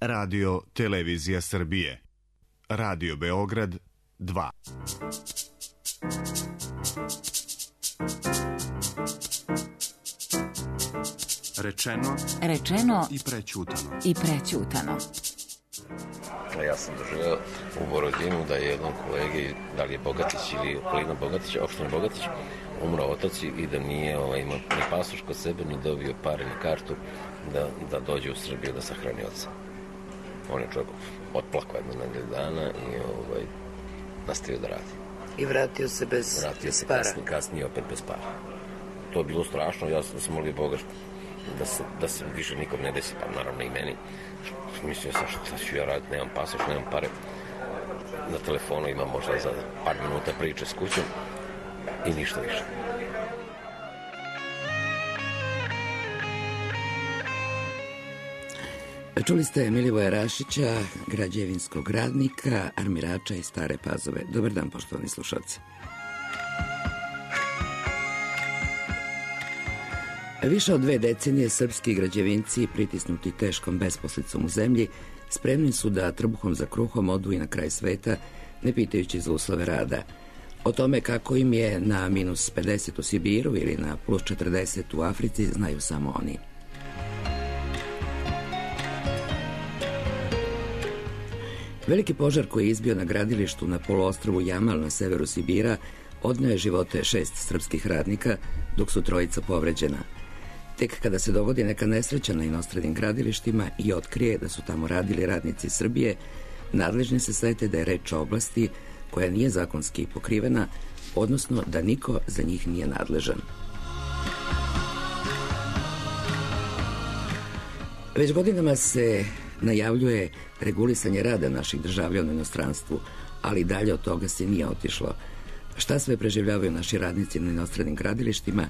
Radio Televizija Srbije. Radio Beograd 2. Rečeno i prećutano. Ja sam doživeo u Borodinu da je jednom kolegi, da li je Bogatić ili okolina Bogatića, opština Bogatić, umrao otac i da nije imao ni pasoš kod sebe, ni dobio pare, ni kartu da dođe u Srbiju da sahrani oca. On je čovjek otplakao jedno nedelju dana i nastavio da radi. I vratio se bez para. Kasnije opet bez para. To je bilo strašno, ja sam molio Boga da se više nikom ne desi, pa naravno i meni. Mislio sam šta ću ja raditi, nemam pasoš, nemam pare. Na telefonu imam možda za par minuta priče s kućom i ništa više. Čuli ste Milivoja Rašića, građevinskog radnika, armirača iz Stare Pazove. Dobar dan, poštovani slušalci. Više od 2 decenije srpski građevinci, pritisnuti teškom besposlicom u zemlji, spremni su da trbuhom za kruhom odu i na kraj sveta, ne pitajući za uslove rada. O tome kako im je na minus 50 u Sibiru ili na plus 40 u Africi znaju samo oni. Veliki požar koji je izbio na gradilištu na poluostrvu Jamal na severu Sibira odneo je živote 6 srpskih radnika, dok su 3 povređena. Tek kada se dogodi neka nesreća na inostranim gradilištima i otkrije da su tamo radili radnici Srbije, nadležni se sete da je reč o oblasti koja nije zakonski pokrivena, odnosno da niko za njih nije nadležan. Već godinama se najavljuje regulisanje rada naših državljana u inostranstvu, ali dalje od toga se nije otišlo. Šta sve preživljavaju naši radnici na inostranim gradilištima,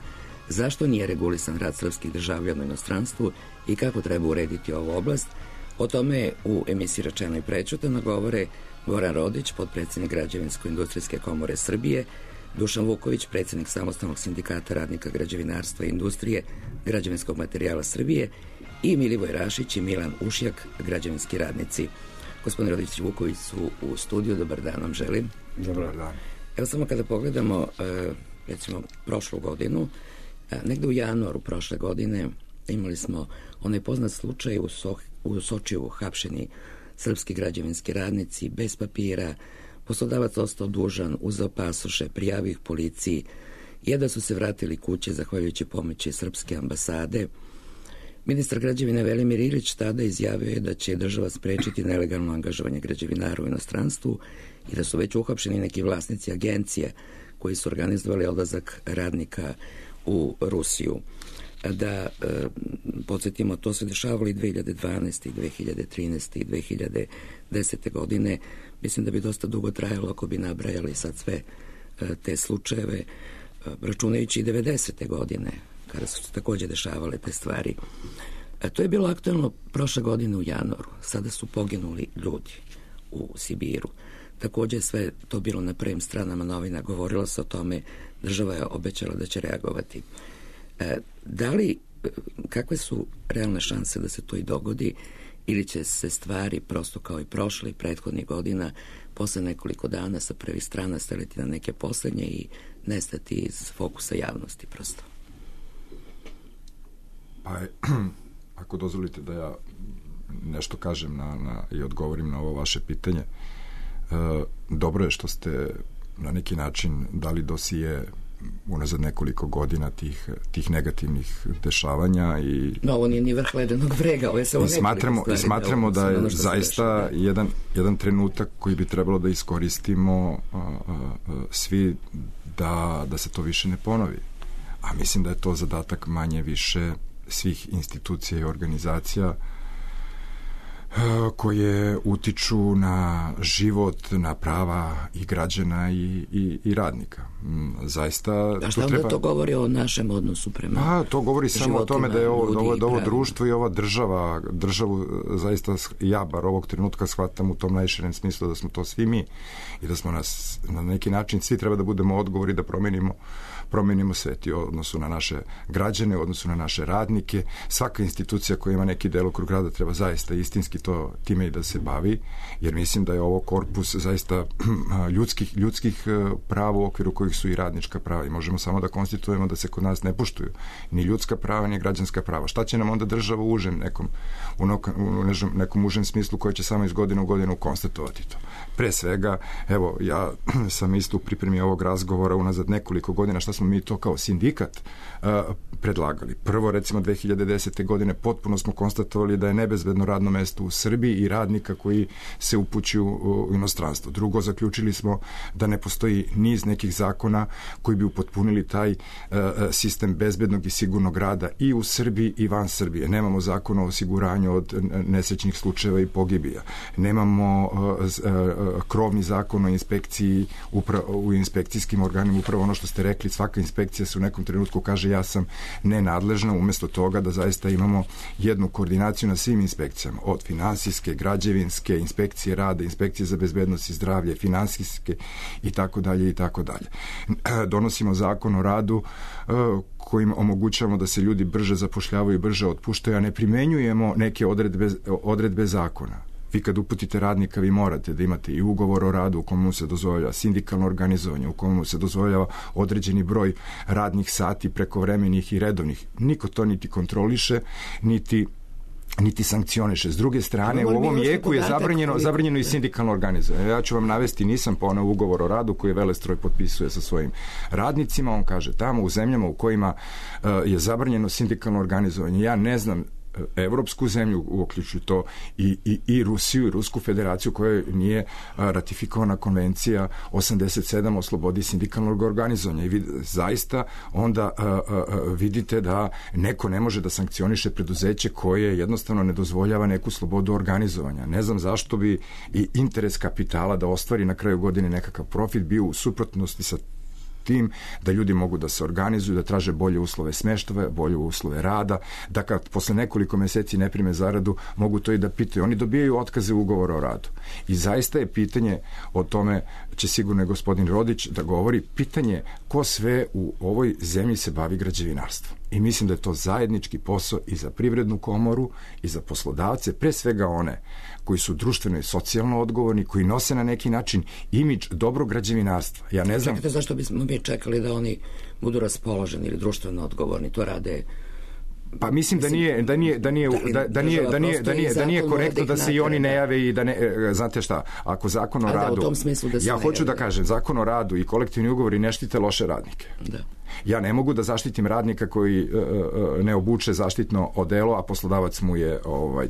zašto nije regulisan rad srpskih državljana u inostranstvu i kako treba urediti ovu oblast, o tome u emisiji Rečeno i prećutano govore Goran Rodić, potpredsjednik Građevinsko-industrijske komore Srbije, Dušan Vuković, predsjednik Samostalnog sindikata radnika građevinarstva i industrije građevinskog materijala Srbije i Milivoj Rašić i Milan Ušjak, građevinski radnici. Gospodin Rodić i Vuković su u studiju, dobar dan vam želim. Dobar dan. Evo samo kada pogledamo, recimo, prošlu godinu, negde u januaru prošle godine imali smo onaj poznat slučaj u Sočiju, hapšeni srpski građevinski radnici bez papira, poslodavac ostao dužan, uzeo pasoše, prijavio ih policiji, jedva su se vratili kuće zahvaljujući pomoći srpske ambasade. Ministar građevine Velimir Ilić tada izjavio je da će država sprečiti nelegalno angažovanje građevinara u inostranstvu i da su već uhapšeni neki vlasnici agencija koji su organizovali odlazak radnika u Rusiju. Da podsjetimo, to se dešavalo i 2012. i 2013. i 2010. godine. Mislim da bi dosta dugo trajalo ako bi nabrajali sad sve te slučajeve, računajući i 90. godine, kada su se takođe dešavale te stvari. To je bilo aktualno prošle godine u januaru. Sada su poginuli ljudi u Sibiru. Takođe sve to bilo na prvim stranama novina, govorilo se o tome, država je obećala da će reagovati. Kakve su realne šanse da se to i dogodi ili će se stvari prosto kao i prošle i prethodnih godina posle nekoliko dana sa prvih strana staviti na neke poslednje i nestati iz fokusa javnosti prosto? Pa ako dozvolite da ja nešto kažem i odgovorim na ovo vaše pitanje, dobro je što ste na neki način dali dosije unazad nekoliko godina tih negativnih dešavanja i ovo nije ni vrh ledenog vrega, ovo je samo i smatramo da je zaista jedan trenutak koji bi trebalo da iskoristimo svi da se to više ne ponovi, a mislim da je to zadatak manje više svih institucija i organizacija koje utiču na život, na prava i građana i radnika. Zaista... A šta onda to govori o našem odnosu prema to govori samo o tome da je ovo društvo i ova državu zaista ja bar ovog trenutka shvatam u tom najširem smislu da smo to svi mi i da smo na neki način svi treba da budemo odgovori da promenimo svet i u odnosu na naše građane, u odnosu na naše radnike. Svaka institucija koja ima neki delokrug rada treba zaista istinski isto time i da se bavi, jer mislim da je ovo korpus zaista ljudskih prava u okviru kojih su i radnička prava i možemo samo da konstituujemo da se kod nas ne poštuju ni ljudska prava, ni građanska prava. Šta će nam onda država u nekom užem smislu koja će samo iz godine u godinu konstatovati to? Pre svega, evo, ja sam isto u pripremi ovog razgovora unazad nekoliko godina, šta smo mi to kao sindikat predlagali. Prvo, recimo, 2010. godine potpuno smo konstatovali da je nebezbedno radno mesto u Srbiji i radnika koji se upućuju u inostranstvo. Drugo, zaključili smo da ne postoji niz nekih zakona koji bi upotpunili taj sistem bezbednog i sigurnog rada i u Srbiji i van Srbije. Nemamo zakon o osiguranju od nesrećnih slučajeva i pogibija. Nemamo krovni zakon o inspekciji u inspekcijskim organima, upravo ono što ste rekli, svaka inspekcija se u nekom trenutku kaže ja sam nenadležna, umesto toga da zaista imamo jednu koordinaciju na svim inspekcijama, od finansijske, građevinske, inspekcije rada, inspekcije za bezbednost i zdravlje, finansijske i tako dalje i tako dalje. Donosimo zakon o radu kojim omogućavamo da se ljudi brže zapošljavaju i brže otpuštaju, a ne primenjujemo neke odredbe zakona. Vi kad uputite radnika, vi morate da imate i ugovor o radu u komu se dozvoljava sindikalno organizovanje, u komu se dozvoljava određeni broj radnih sati prekovremenih i redovnih. Niko to niti kontroliše, niti sankcioniše. S druge strane, u ovom jeku je zabranjeno i sindikalno organizovanje. Ja ću vam navesti, nisam poneo ugovor o radu koji Velestroj potpisuje sa svojim radnicima. On kaže tamo u zemljama u kojima je zabranjeno sindikalno organizovanje. Ja ne znam evropsku zemlju, uključuju to i Rusiju i Rusku federaciju koja nije ratifikovana konvencija 87 o slobodi sindikalnog organizovanja i zaista onda vidite da neko ne može da sankcioniše preduzeće koje jednostavno ne dozvoljava neku slobodu organizovanja. Ne znam zašto bi i interes kapitala da ostvari na kraju godine nekakav profit bio u suprotnosti sa tim da ljudi mogu da se organizuju, da traže bolje uslove smeštaja, bolje uslove rada, da kad posle nekoliko meseci ne prime zaradu, mogu to i da pitaju. Oni dobijaju otkaze ugovora o radu. I zaista je pitanje, o tome će sigurno i gospodin Rodić da govori, pitanje ko sve u ovoj zemlji se bavi građevinarstvom. I mislim da je to zajednički posao i za Privrednu komoru i za poslodavce, pre svega one koji su društveno i socijalno odgovorni, koji nose na neki način imidž dobrog građevinarstva. Ja ne znam... Čekajte, zašto bismo mi čekali da oni budu raspoloženi ili društveno odgovorni? To rade... Pa mislim da nije korektno da se i oni ne jave i da ne, znate šta, ako zakon o radu, ja hoću da kažem, zakon o radu i kolektivni ugovori ne štite loše radnike. Da. Ja ne mogu da zaštitim radnika koji ne obuče zaštitno odelo, a poslodavac mu je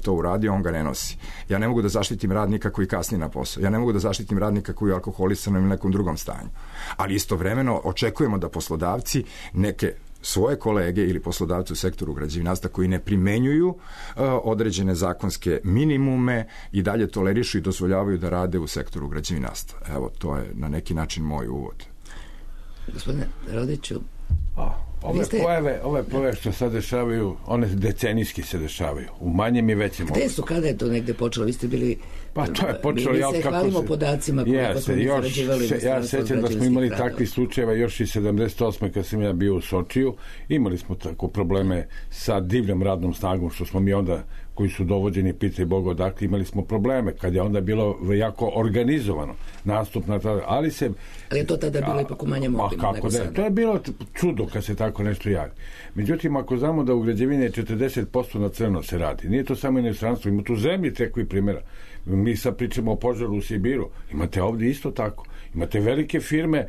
to uradio, on ga ne nosi. Ja ne mogu da zaštitim radnika koji kasni na posao. Ja ne mogu da zaštitim radnika koji je alkoholisan ili nekom drugom stanju. Ali istovremeno očekujemo da poslodavci neke svoje kolege ili poslodavci u sektoru građevinarstva koji ne primenjuju određene zakonske minimume i dalje tolerišu i dozvoljavaju da rade u sektoru građevinarstva. Evo, to je na neki način moj uvod. Gospodine Rodiću, Ove pojave što sad dešavaju, one decenijski se dešavaju. U manjem i većem gde su, kada je to negde počelo? Vi ste bili... Pa to je počelo... Mi se hvalimo podacima koliko smo mi zarađivali. Ja sećam da smo imali takvi slučajeva još i 78. kad sam ja bio u Sočiju. Imali smo tako probleme sa divljom radnom snagom, što smo mi onda, koji su dovođeni, pitaj Boga odakle, imali smo probleme, kad je onda bilo jako organizovano nastup na to, ali je to tada bilo ipak u manjem obimu nego sada. To je bilo čudo kad se tako nešto javi. Međutim, ako znamo da u građevini 40% na crno se radi, nije to samo inostranstvo, ima tu zemlji takvih primjera. Mi sad pričamo o požaru u Sibiru, imate ovdje isto tako. Imate velike firme,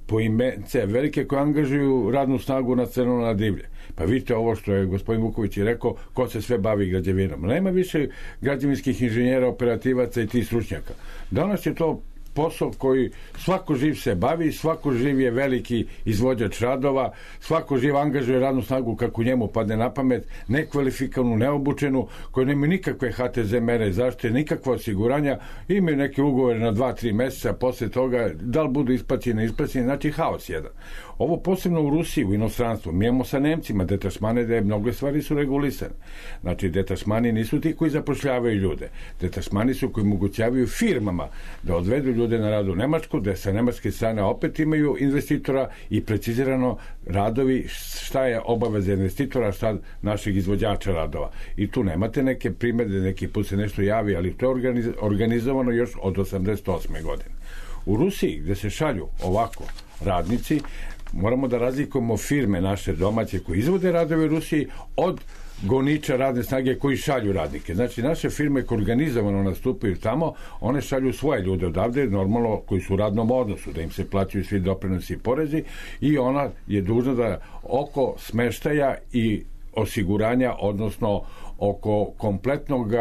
poimence, velike koje angažuju radnu snagu na crno, na divlje. Pa vidite ovo što je gospodin Vuković i rekao, ko se sve bavi građevinom. Nema više građevinskih inženjera, operativaca i tih stručnjaka. Danas je to posao koji svako živ se bavi, svako živ je veliki izvođač radova, svako živ angažuje radnu snagu kako njemu padne na pamet, nekvalifikovanu, neobučenu, koji nemaju nikakve HTZ mere zaštite, nikakva osiguranja, imaju neke ugovore na 2-3 meseca, posle toga da li budu isplaćeni, znači haos jedan. Ovo posebno u Rusiji, u inostranstvu, mi imamo sa Nemcima detašmane da je mnogo stvari su regulisane. Znači, detašmani nisu ti koji zapošljavaju ljude. Detašmani su koji omogućavaju firmama da odvedu ljude ljude na radu u Nemačku, gde sa nemačke strane opet imaju investitora i precizirano radovi, šta je obaveza investitora, šta našeg izvođača radova. I tu nemate neke primede, neki put se nešto javi, ali to je organizovano još od 88. godine. U Rusiji, gde se šalju ovako radnici, moramo da razlikujemo firme naše domaće koji izvode radove u Rusiji od goniča radne snage koji šalju radnike. Znači, naše firme koje organizovano nastupaju tamo, one šalju svoje ljude odavde, normalno koji su u radnom odnosu, da im se plaćaju svi doprinosi i porezi, i ona je dužna da oko smeštaja i osiguranja, odnosno oko kompletnog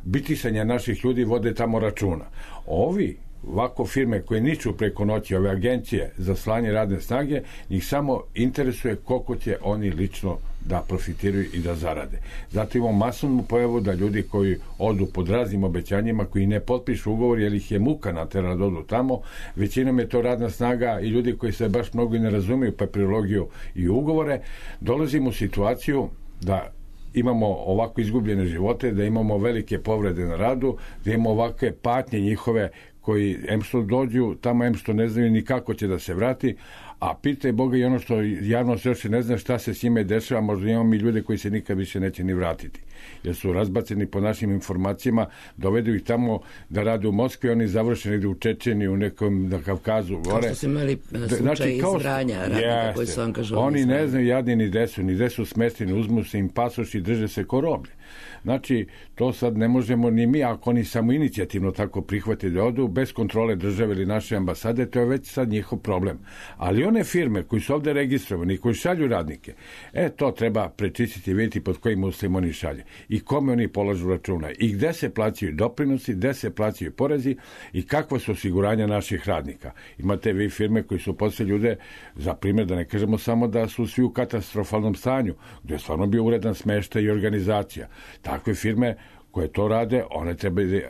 bitisanja naših ljudi vode tamo računa. Ovi ovako firme koje niču preko noći, ove agencije za slanje radne snage, njih samo interesuje koliko će oni lično da profitiraju i da zarade. Zato imamo masovnu pojavu da ljudi koji odu pod raznim obećanjima, koji ne potpišu ugovor jer ih je muka natera da odu tamo, većinom je to radna snaga i ljudi koji se baš mnogo i ne razumiju papirologiju i ugovore, dolazimo u situaciju da imamo ovako izgubljene živote, da imamo velike povrede na radu, da imamo ovakve patnje njihove koji em što dođu tamo, em što ne znaju ni kako će da se vrati, a pitaj Boga i ono što javno se još ne zna šta se s njime dešava, možda imamo i ljude koji se nikad više neće ni vratiti. Jer su razbaceni po našim informacijama, dovedu ih tamo da rade u Moskvi, oni završeni u Čečeni, u nekom na Kavkazu. Kao što su imali slučaj iz Vranja, radnika koji su angažovani. Oni ne znaju jadni ni gde su smesteni, uzmu se im pasoš i drže se ko roblje. Znači, to sad ne možemo ni mi, ako oni samo inicijativno tako prihvate da odu, bez kontrole države ili naše ambasade, to je već sad njihov problem. Ali one firme koji su ovde registrovani i koji šalju radnike, to treba prečistiti i vidjeti pod kojim uslovima oni šalje i kome oni polažu računa i gde se plaćaju doprinosi, gde se plaćaju porezi i kakva su osiguranja naših radnika. Imate vi firme koji su posle ljude, za primjer, da ne kažemo samo da su svi u katastrofalnom stanju, gde je stvarno bio uredan smeštaj i organizacija. Takve firme koje to rade, one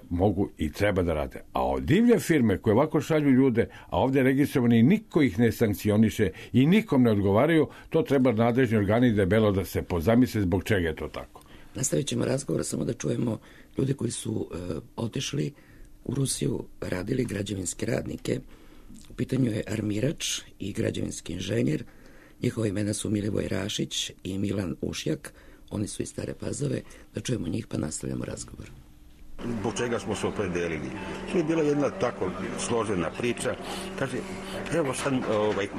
mogu i treba da rade. A od divlje firme koje ovako šalju ljude, a ovde registrovani, niko ih ne sankcioniše i nikom ne odgovaraju, to treba nadležni organi debelo da se pozamisle zbog čega je to tako. Nastavit ćemo razgovor, samo da čujemo ljude koji su otišli u Rusiju, radili građevinske radnike. U pitanju je armirač i građevinski inženjer. Njihova imena su Milivoj Rašić i Milan Ušjak. Oni su iz Stare Pazove. Da čujemo njih pa nastavljamo razgovor. Zbog čega smo se opredelili. To je bila jedna tako složena priča. Kaže, evo sad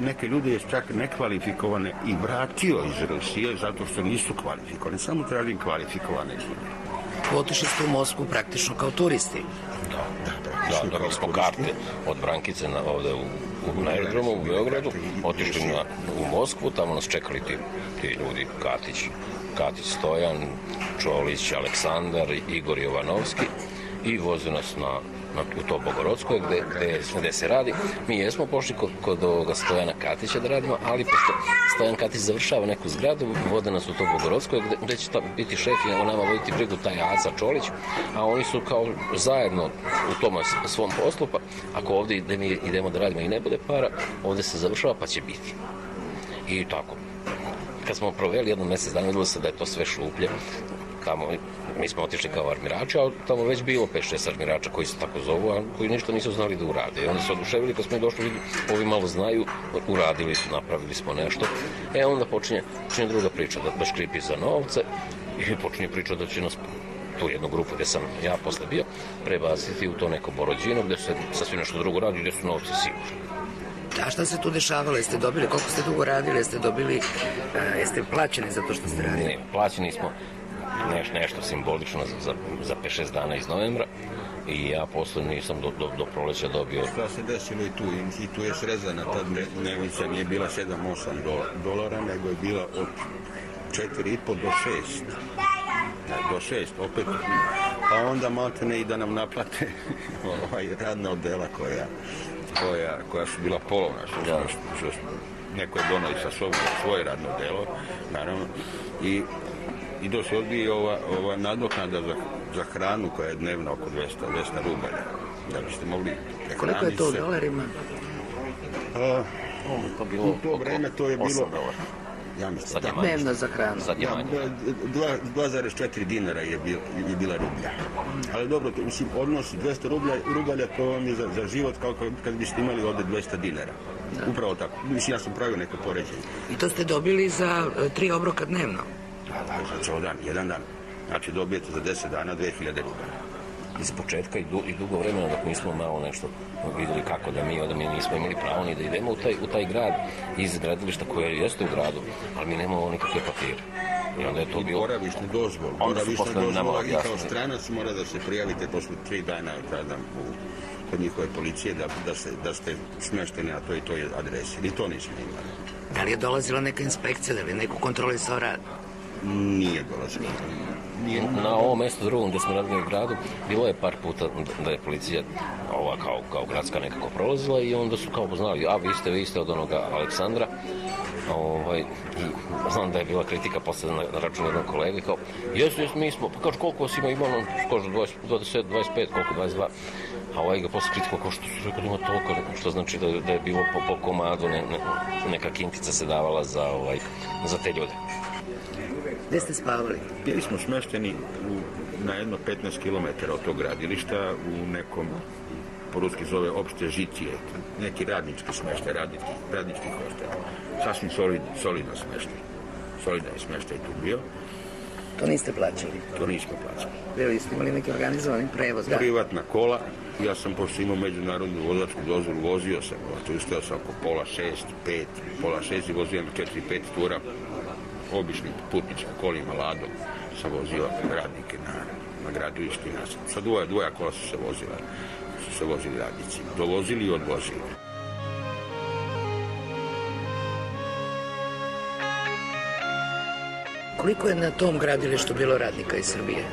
neke ljudi je čak nekvalifikovane i vratio iz Rusije zato što nisu kvalifikovane. Samo tražim kvalifikovane ljude. Otišli ste u Moskvu praktično kao turisti. Da, dobili smo karte od Brankice ovde na aerodromu u Beogradu, otišli u Moskvu, tamo nas čekali ti ljudi, Katić Stojan, Čolić, Aleksandar, Igor Jovanovski i voze nas u to Bogorodsko gde se radi. Mi jesmo pošli kod ovoga Stojana Katića da radimo, ali pošto Stojan Katić završava neku zgradu, vode nas u to Bogorodsko gde će biti šef i o nama voditi brigu taj Aca Čolić, a oni su kao zajedno u tom svom poslu, pa ako ovde idemo da radimo i ne bude para, ovde se završava pa će biti. I tako. Kad smo proveli jedno mesec dana, videlo se da je to sve šuplje. Tamo, mi smo otišli kao armirači, a tamo već bilo 5-6 armirača koji se tako zovu, a koji ništa nisu znali da urade. I oni su oduševili, kad smo i došli, ovi malo znaju, uradili su, napravili smo nešto. Onda počinje druga priča, da škripi za novce i počinje priča da će nas tu jednu grupu gde sam ja posle bio prebaciti u to neko Borođino, gde se sasvim nešto drugo radi, gde su novci sigurni. A šta se tu dešavalo? Jeste dobili, koliko ste dugo radili? Jeste plaćeni za to što ste radili? Ne, plaćeni smo nešto simbolično za 5-6 dana iz novembra i ja posle nisam do proleća dobio. Šta se desilo i tu je srezana, ta dnevnica nije bila 7-8 dolara, nego je bila od 4,5 do 6. Do 6, opet. Pa onda maltene i da nam naplate radna odela koja su bila polovna, što neko je donao i sa sobom svoje radno delo, naravno, i do se odbije ova nadoknada za hranu koja je dnevno oko 200 rubalja, da biste mogli prehraniti se. Koliko je to u dolarima? U to vreme to je bilo Ja mislim. Sad je manje. Dnevno za hranu. Sad je manje. 2,4 dinara je bila rublja. Ali dobro, mislim, odnos 200 rubalja, to vam je za život kao kad biste imali ovde 200 dinara. Da. Upravo tako. Mislim, ja sam pravio neko poređenje. I to ste dobili za 3 obroka dnevno? Da, za ceo dan, jedan dan. Znači dobijete za 10 dana 2000 rubala. Iz početka i dugo vremena dok nismo malo nešto videli kako da mi nismo imali pravo ni da idemo u taj grad iz gradilišta koje jeste u gradu, ali mi nemamo nikakve papire. I onda je to bilo... Boravišnu dozvolu. Boravišna dozvola i kao stranac mora da se prijavite posle 3 dana kod njihove policije da ste smešteni na toj i toj adresi. I to nismo imali. Da li je dolazila neka inspekcija, da li je neko kontrolisao rad? Nije dolazila. Na ovom mjestu drugom gdje smo radili u gradu bilo je par puta da je policija kao gradska nekako prolazila i onda su kao poznali, a vi ste od onoga Aleksandra. I znam da je bila kritika posle na račun jednog kolege kao, jesu, mi smo, pa kaže koliko vas ima, kaže 20, 25, koliko, 22. A ga posle kritika kao što su rekao da ima toliko, što znači da je bilo po komadu, neka kintica se davala za te ljude. Gde ste spavali? Bili smo smešteni na jedno 15 km od tog gradilišta u nekom, po ruski zove opšte žicije, neki radnički smeštaj, radnički hostel. Sasvim solidno smeštaj. Solidan je smeštaj tu bio. To niste plaćali? To nismo plaćali. Bili ste imali neki organizovani prevoz? Privatna kola. Ja sam, pošto imao međunarodnu vozačku dozvolu, vozio sam. Ustao sam oko pola 6 i vozio 4-5 tura običnim putničkim kolima, ladom. Sam vozio radnike na gradilištu i nazad. Sa dvoja kola su se vozili radnici. Dovozili i odvozili. Koliko je na tom gradilištu bilo radnika iz Srbije?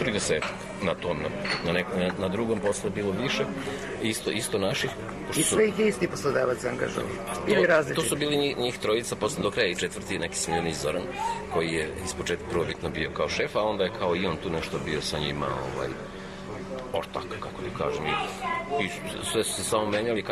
30 na tom, na drugom posle bilo više, isto naših. I sve ih je isti poslodavac angažovao? Ili različiti? To su bili njih trojica, posle do kraja i četvrti neki smiljeni Zoran, koji je ispočetka prvobitno bio kao šef, a onda je kao i on tu nešto bio sa njima, ortak, kako li kažem, i sve su se samo menjali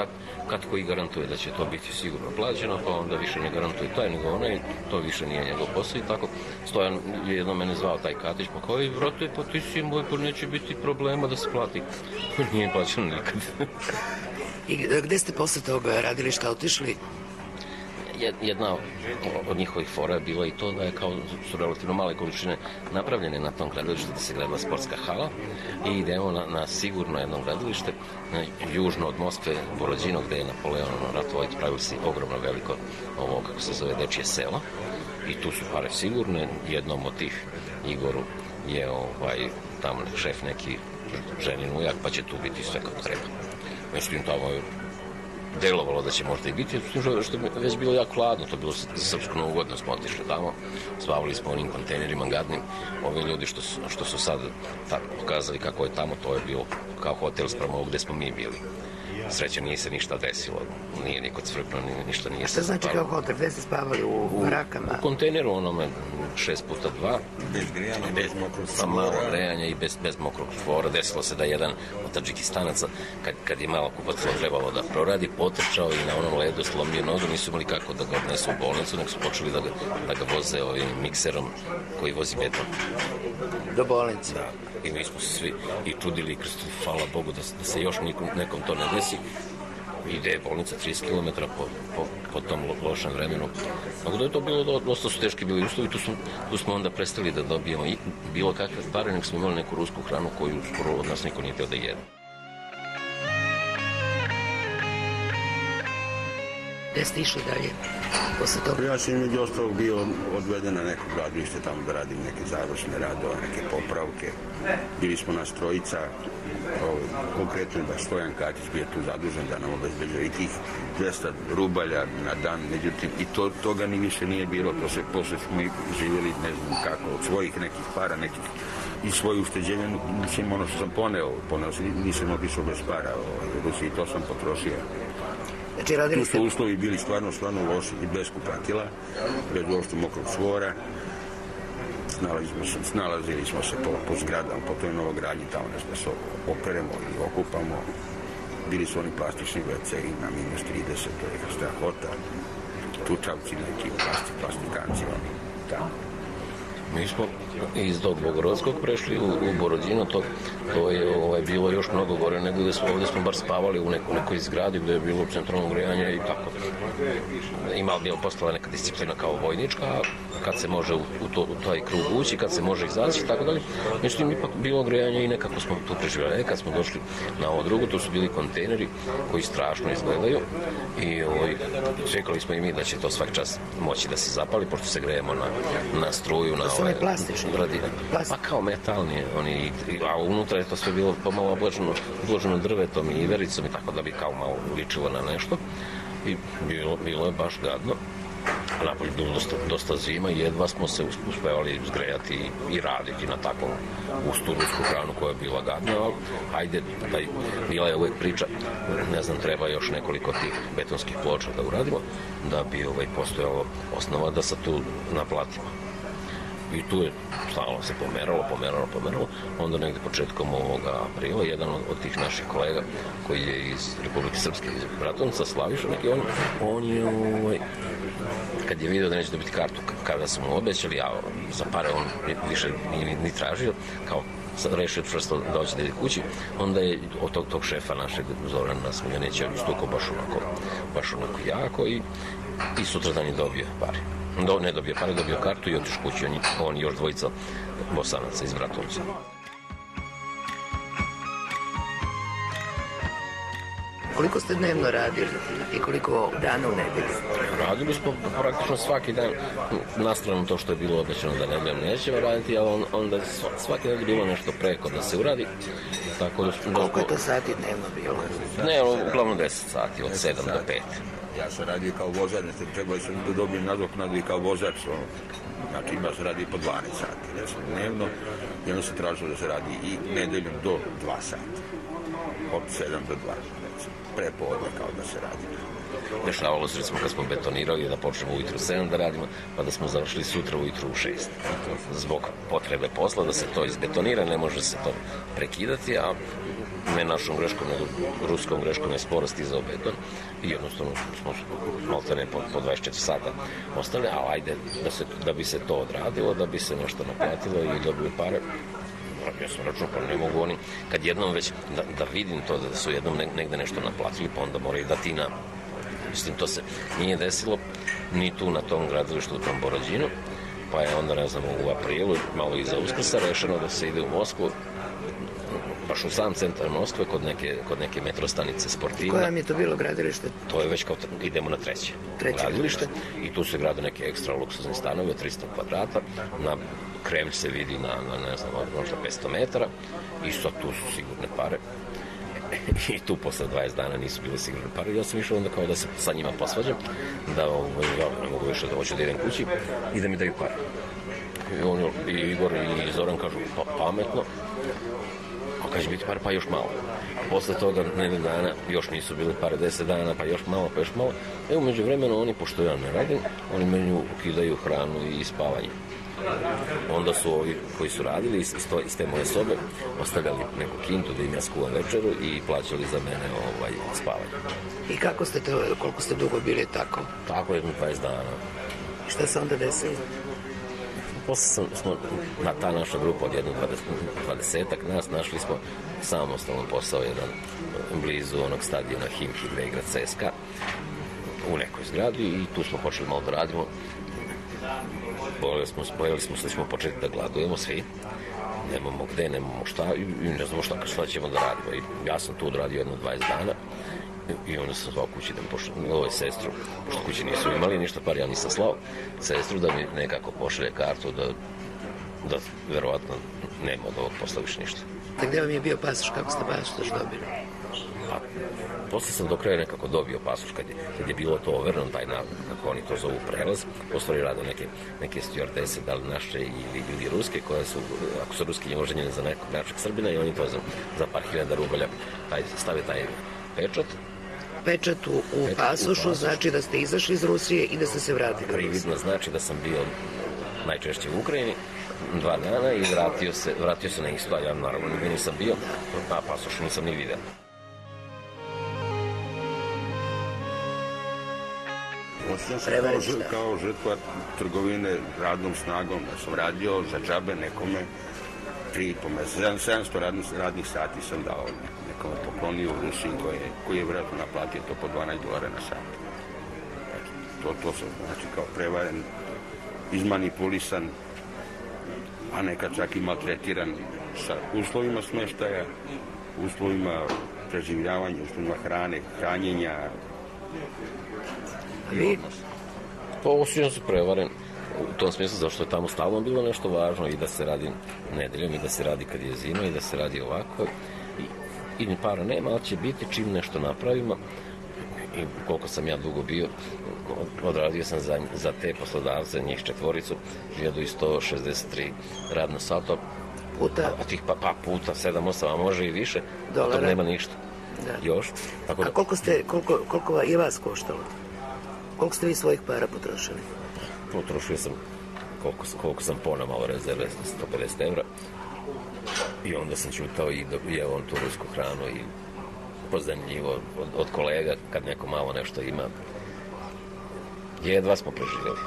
kad koji garantuje da će to biti sigurno plaćeno, pa onda više ne garantuje taj nego onaj, to više nije njegov posao i tako. Stojan je jedno mene zvao taj Katić, pa kao, vrate, pa ti si moj, pa neće biti problema da se plati. Nije plaćeno nikad. I gde ste posle toga radilišta otišli? Jedna od njihovih fora je bila i to da je kao su relativno male količine napravljene na tom gradilištu da se gradila sportska hala i idemo na sigurno jedno gradilište južno od Moskve, Borodino, gde je Napoleon ratovao i pravili si ogromno veliko ovo, kako se zove, dečije selo i tu su pare sigurne. Jednom od tih Igoru je tamo šef neki ženin ujak, pa će tu biti sve kako treba. Međutim, tamo je delovalo da će možda i biti, što je već bilo jako hladno, to je bilo za srpsku novu godinu, smo otišli tamo, spavali smo onim kontejnerima gadnim, ovi ljudi što su sad pokazali kako je tamo, to je bilo kao hotel sprem ovog gde smo mi bili. Sreća nije se ništa desilo, nije niko cvrknuo, ništa nije se zapalo. Šta znači kao hotel, gde ste spavali, u barakama? U kontejneru onome 6x2, bez grijanja, bez mokrog sa malo grejanja i bez mokrog čvora. Desilo se da jedan od Tadžikistanaca, kad je malo kupac trebalo da proradi, potrčao i na onom ledu slomio nogu, nisu imali kako da ga odnesu u bolnicu, nek su počeli da ga voze ovim mikserom koji vozi beton. Do bolnice? Da. I mi smo se svi i čudili i krstili, hvala Bogu da se još nekom to ne desi. Ide je bolnica 30 km po tom lošem vremenu. Tako da je to bilo, dosta su teški bili uslovi, tu smo onda prestali da dobijemo i bilo kakve pare, nek smo imali neku rusku hranu koju skoro od nas niko nije teo da jede. Gde ste išli dalje posle toga? Ja sam među ostalog bio odveden na neko gradilište tamo da radim neke završne radove, neke popravke. Bili smo nas trojica, konkretno da Stojan Katić bio tu zadužen da nam obezbeđuje i tih 200 rubalja na dan, međutim i toga ni više nije bilo, posle smo živjeli ne znam kako, od svojih nekih para, nekih i svoje ušteđenje, mislim ono što sam poneo nisam otišao bez para u Rusiji, to sam potrošio. Tu su uslovi bili stvarno loši i bez kupatila, bez uopšte mokrog čvora. Snalazili smo se po zgradama, po toj novogradnji, tamo da se operemo ili okupamo. Bili su oni plastični WC-i na -30, to je strahota. čučavci neki, plastikanci oni, tako. Mi smo iz tog Bogorodskog prešli u Borodino, to je bilo još mnogo gore nego ovdje smo bar spavali u nekoj zgradi gdje je bilo centralno grejanje i tako. Bila postala neka disciplina kao vojnička, kad se može u taj krug ući, kad se može izaći i tako dalje. Međutim, ipak bilo grejanje i nekako smo tu preživjeli. Kad smo došli na ovo drugo, to su bili kontejneri koji strašno izgledaju i čekali smo i mi da će to svaki čas moći da se zapali, pošto se grejemo na struju, na one plastične? Pa kao metalni, a unutra je to sve bilo pomalo obloženo drvetom i ivericom i tako da bi kao malo ličilo na nešto i bilo je baš gadno. Napolje bilo dosta zima i jedva smo se uspevali zgrejati i raditi na takvom gustu rusku hranu koja je bila gadna, ali hajde, bila je uvek priča, ne znam, treba još nekoliko tih betonskih ploča da uradimo, da bi postojalo osnova da se tu naplatimo. I tu je stalno se pomeralo. Onda negde početkom ovoga aprila jedan od tih naših kolega koji je iz Republike Srpske, iz Bratunca, Slaviša neki, on je kad je vidio da neće dobiti kartu kada su mu obećali, a za pare on više ni tražio, kao rešio čvrsto da hoće da ide kući, onda je od tog šefa našeg Zorana Smiljanića istukao baš onako jako i sutradan je dobio pare. Ne dobio pare, dobio kartu i otišao kući, on još dvojica Bosanaca iz Bratunca. Koliko ste dnevno radili i koliko dana u nedelju? Radili smo praktično svaki dan, na stranu to što je bilo obećano da nećemo raditi, ali onda svaki dan je bilo nešto preko da se uradi. Koliko je to sati dnevno bilo? Ne, uglavnom 10 sati, od 7 do 5. Ja sam radio kao vozač, trebao sam da dobijem nadoknadu i kao vozač. Znači ima se radi po 12 sati, recimo dnevno, i onda se tražilo da se radi i nedeljom do 2 sata. Od 7 do 2, recimo. Prepodne kao da se radi. Dešavalo se, recimo, kad smo betonirali da počnemo ujutru 7 da radimo, pa da smo završili sutra ujutru u 6. Zbog potrebe posla da se to izbetonira, ne može se to prekidati, a ne našom greškom, nego ruskom greškom je sporo stizao beton i jednostavno smo maltene po 24 sata ostali, ali ajde da bi se to odradilo, da bi se nešto naplatilo i dobili pare. Ja sam računao, pa ne mogu oni, kad jednom već da vidim to da su jednom negde nešto naplatili, pa onda moraju da ti na... Mislim, to se nije desilo ni tu na tom gradilištu u tom Borodinu, pa je onda, ne znam, u aprilu, malo iza Uskrsa, rešeno da se ide u Moskvu, baš u sam centar Moskve, kod neke metrostanice Sportivna. Koje vam je to bilo gradilište? To je već kao idemo na treće gradilište i tu se grade neke ekstra luksuzni stanovi od 300 kvadrata. Na Kremlj se vidi na ne znam, možda 500 metara i sad tu su sigurne pare. I tu posle 20 dana nisu bile sigurne pare. Ja sam išao onda kao da se sa njima posvađam, da ja ne mogu više da hoću da idem kući i da mi daju pare. I Igor i Zoran kažu, pa pametno, a kad će biti pare, pa još malo. Posle toga nedelju dana još nisu bile pare, 10 dana, pa još malo. Umeđu vremenu oni, pošto ja ne radim, oni meni ukidaju hranu i spavanje. Onda su ovi koji su radili iz te moje sobe ostavljali neku kintu da im ja skuvam večeru i plaćali za mene spavanje. I kako ste to, koliko ste dugo bili tako? Tako jedno 20 dana. I šta se onda desilo? Posle smo na ta naša grupa od jednog 20-ak nas našli smo samostalno posao jedan blizu onog stadiona Himki gde igra CSKA u nekoj zgradi i tu smo počeli malo da radimo. Bojali smo se da ćemo početi da gladujemo svi, nemamo gde, nemamo šta i ne znamo šta ćemo da radimo. I ja sam tu odradio jedno 20 dana i onda sam zvao kući da mi pošle sestru, pošto kući nisu imali ništa par, ja nisam slao sestru da mi nekako pošalje kartu da verovatno nema od ovog posla više ništa. Da gde vam je bio pasoš, kako ste pasoš dobili? Pa, posle sam do kraja nekako dobio pasoš kad je bilo to overno, taj kako oni to zovu prelaz, postali rade neke stjuardese, da li naše ili ruske, koje su, ako su ruski, oženjene za nekog našeg Srbina i oni to za par hiljada rubalja stave taj pečat. Pečat u pasošu znači da ste izašli iz Rusije i da ste se vratili. Prividno znači da sam bio najčešće u Ukrajini 2 dana i vratio se na isto, a ja naravno nigde nisam bio, a pasoš nisam ni vidio. Osjećam se kao žrtva trgovine radnom snagom. Ja sam radio za džabe nekome 3,5 mjeseca. 700 radnih sati sam dao nekome poklonio u Rusiji koji je vjerojatno naplatio to po $12 na sat. To sam znači kao prevaren, izmanipulisan, a nekad čak i maltretiran sa uslovima smještaja, uslovima preživljavanja, uslovima hrane, hranjenja. Osjećam se prevaren u tom smislu zašto je tamo stalno bilo nešto važno i da se radi nedeljom i da se radi kad je zima i da se radi ovako i ni para nema, ali će biti čim nešto napravimo. I koliko sam ja dugo bio, odradio sam za te poslodavce, njih 4, 1163 radna sata, puta. A tih puta 7-8, a može i više, to nema ništa. Da. Još. Tako da... A koliko je vas koštalo? Koliko ste vi svojih para potrošili? Potrošio sam koliko sam ponao malo rezerve, 150 evra. I onda sam čutao i jeo on tu rusku hranu i pozemljivo od kolega kad neko malo nešto ima. Jedva smo preživjeli.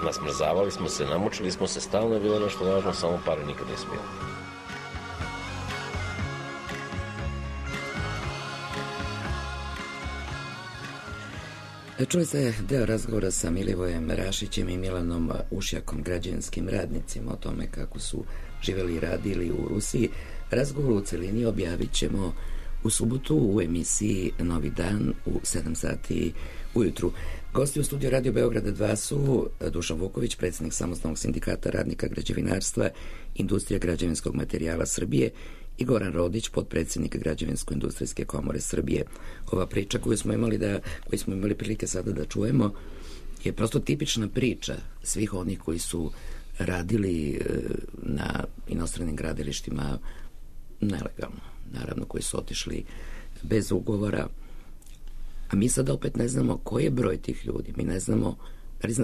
Nasmrzavali smo se, namučili smo se, stalno je bilo nešto važno, samo pare nikad nisu bilo. Čuli ste deo razgovora sa Milivojem Rašićem i Milanom Ušjakom, građevinskim radnicima, o tome kako su živjeli i radili u Rusiji. Razgovor u celini objavit ćemo u subotu u emisiji Novi dan u 7 sati ujutru. Gosti u studiju Radio Beograda 2 su Dušan Vuković, predsjednik Samostalnog sindikata radnika građevinarstva, industrija građevinskog materijala Srbije, i Goran Rodić, potpredsjednik Građevinsko-industrijske komore Srbije. Ova priča koju smo imali prilike sada da čujemo je prosto tipična priča svih onih koji su radili na inostranim gradilištima nelegalno, naravno, koji su otišli bez ugovora. A mi sad opet ne znamo koji je broj tih ljudi. Mi ne znamo,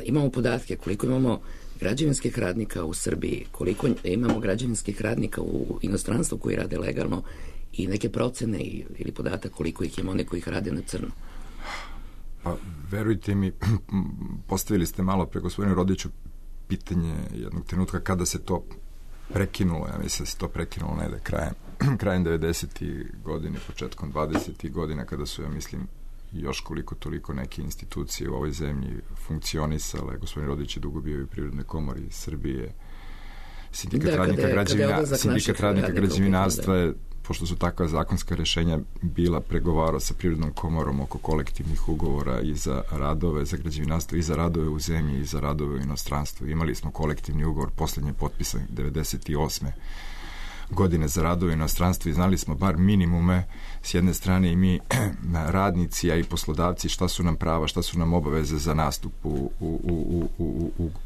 imamo podatke koliko imamo građevinskih radnika u Srbiji, koliko imamo građevinskih radnika u inostranstvu koji rade legalno i neke procene ili podatak koliko ih ima, one koji ih rade na crno. Pa, verujte mi, postavili ste malo pre gospodinu Rodiću pitanje jednog trenutka kada se to prekinulo. Ja mislim da se to prekinulo negde krajem 90. godine, početkom 20. godina, kada su, ja mislim, još koliko toliko neke institucije u ovoj zemlji funkcionisale. Gospodin Rodić je dugo bio i u Privrednoj komori Srbije, sindikat radnika građevinarstva je, pošto su takva zakonska rešenja bila, pregovarao sa Privrednom komorom oko kolektivnih ugovora i za radove za građevinarstvo i za radove u zemlji i za radove u inostranstvu. Imali smo kolektivni ugovor, poslednje potpisan 98. godine za radove u inostranstvu i znali smo bar minimume s jedne strane i mi radnici, a i poslodavci, šta su nam prava, šta su nam obaveze za nastup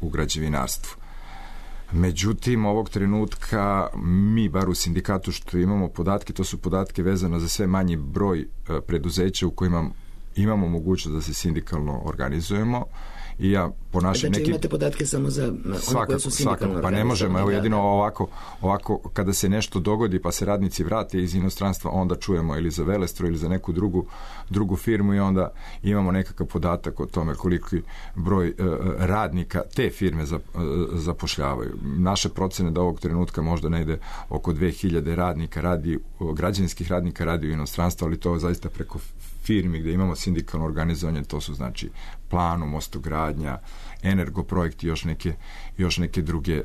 u građevinarstvu. Međutim, ovog trenutka mi, bar u sindikatu, što imamo podatke, to su podatke vezano za sve manji broj preduzeća u kojima imamo mogućnost da se sindikalno organizujemo. I ja po našim nekim... imate podatke samo za one koje su sindikalno organizovane? Pa ne možemo, evo jedino ovako kada se nešto dogodi pa se radnici vrate iz inostranstva, onda čujemo ili za Velestro ili za neku drugu firmu i onda imamo nekakav podatak o tome koliki broj radnika te firme zapošljavaju. Naše procene da ovog trenutka možda ne ide oko 2000 radnika građevinskih radnika radi u inostranstvu, ali to zaista preko firmi gde imamo sindikalno organizovanje, to su znači Planu, Mostogradnja, Energoprojekt i još neke druge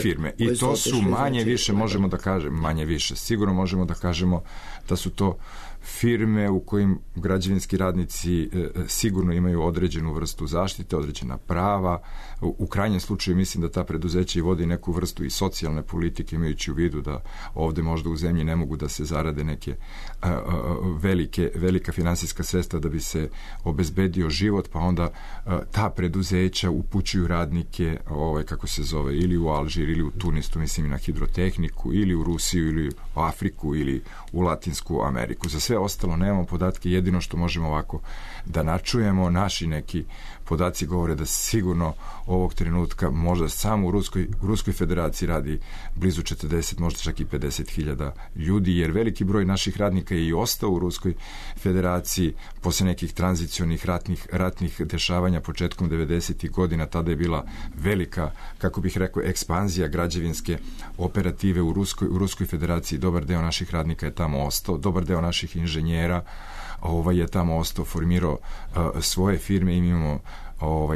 firme. I to su manje više, možemo da kažemo, manje više. Sigurno možemo da kažemo da su to firme u kojim građevinski radnici sigurno imaju određenu vrstu zaštite, određena prava. U krajnjem slučaju mislim da ta preduzeća i vodi neku vrstu i socijalne politike, imajući u vidu da ovde možda u zemlji ne mogu da se zarade neke velika finansijska sredstva da bi se obezbedio život, pa onda ta preduzeća upućuju radnike, kako se zove, ili u Alžir, ili u Tunis, mislim i na hidrotehniku, ili u Rusiju, ili u Afriku, ili u Latinsku Ameriku. Za sve ostalo nemamo podatke, jedino što možemo ovako da načujemo, naši neki podaci govore da sigurno ovog trenutka možda samo u Ruskoj federaciji radi blizu 40, možda čak i 50.000 ljudi, jer veliki broj naših radnika je i ostao u Ruskoj federaciji posle nekih tranzicionih ratnih dešavanja početkom 90. godina. Tada je bila velika, kako bih rekao, ekspanzija građevinske operative u Ruskoj federaciji. Dobar deo naših radnika je tamo ostao, dobar deo naših inženjera je tamo ostao, formirao svoje firme i imamo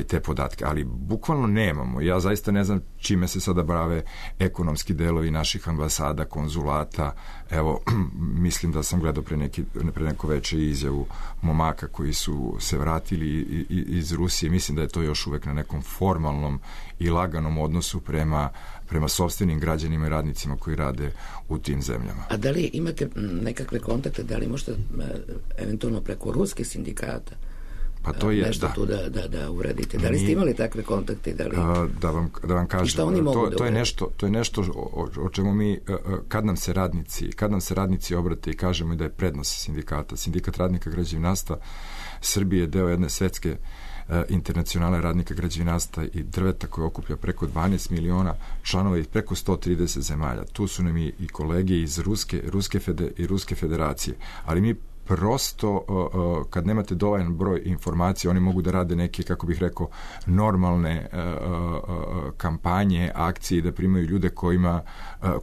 te podatke, ali bukvalno nemamo. Ja zaista ne znam čime se sada bave ekonomski delovi naših ambasada, konzulata. Evo, mislim da sam gledao pre neko veče izjavu momaka koji su se vratili iz Rusije. Mislim da je to još uvek na nekom formalnom i laganom odnosu prema sopstvenim građanima i radnicima koji rade u tim zemljama. A da li imate nekakve kontakte, da li možete eventualno preko ruskih sindikata pa to je, nešto tu da uradite? Da li ste imali takve kontakte? Da vam kažem, to je nešto o čemu mi, kad nam se radnici obrate i kažemo da je prednost sindikata. Sindikat radnika građevinarstva Srbije je deo jedne svetske internacionalne radnika građevinarstva i drveta koja okuplja preko 12 miliona članova i preko 130 zemalja. Tu su nam i kolege iz Ruske federacije, ali mi prosto, kad nemate dovoljan broj informacija, oni mogu da rade neke, kako bih rekao, normalne kampanje, akcije, da primaju ljude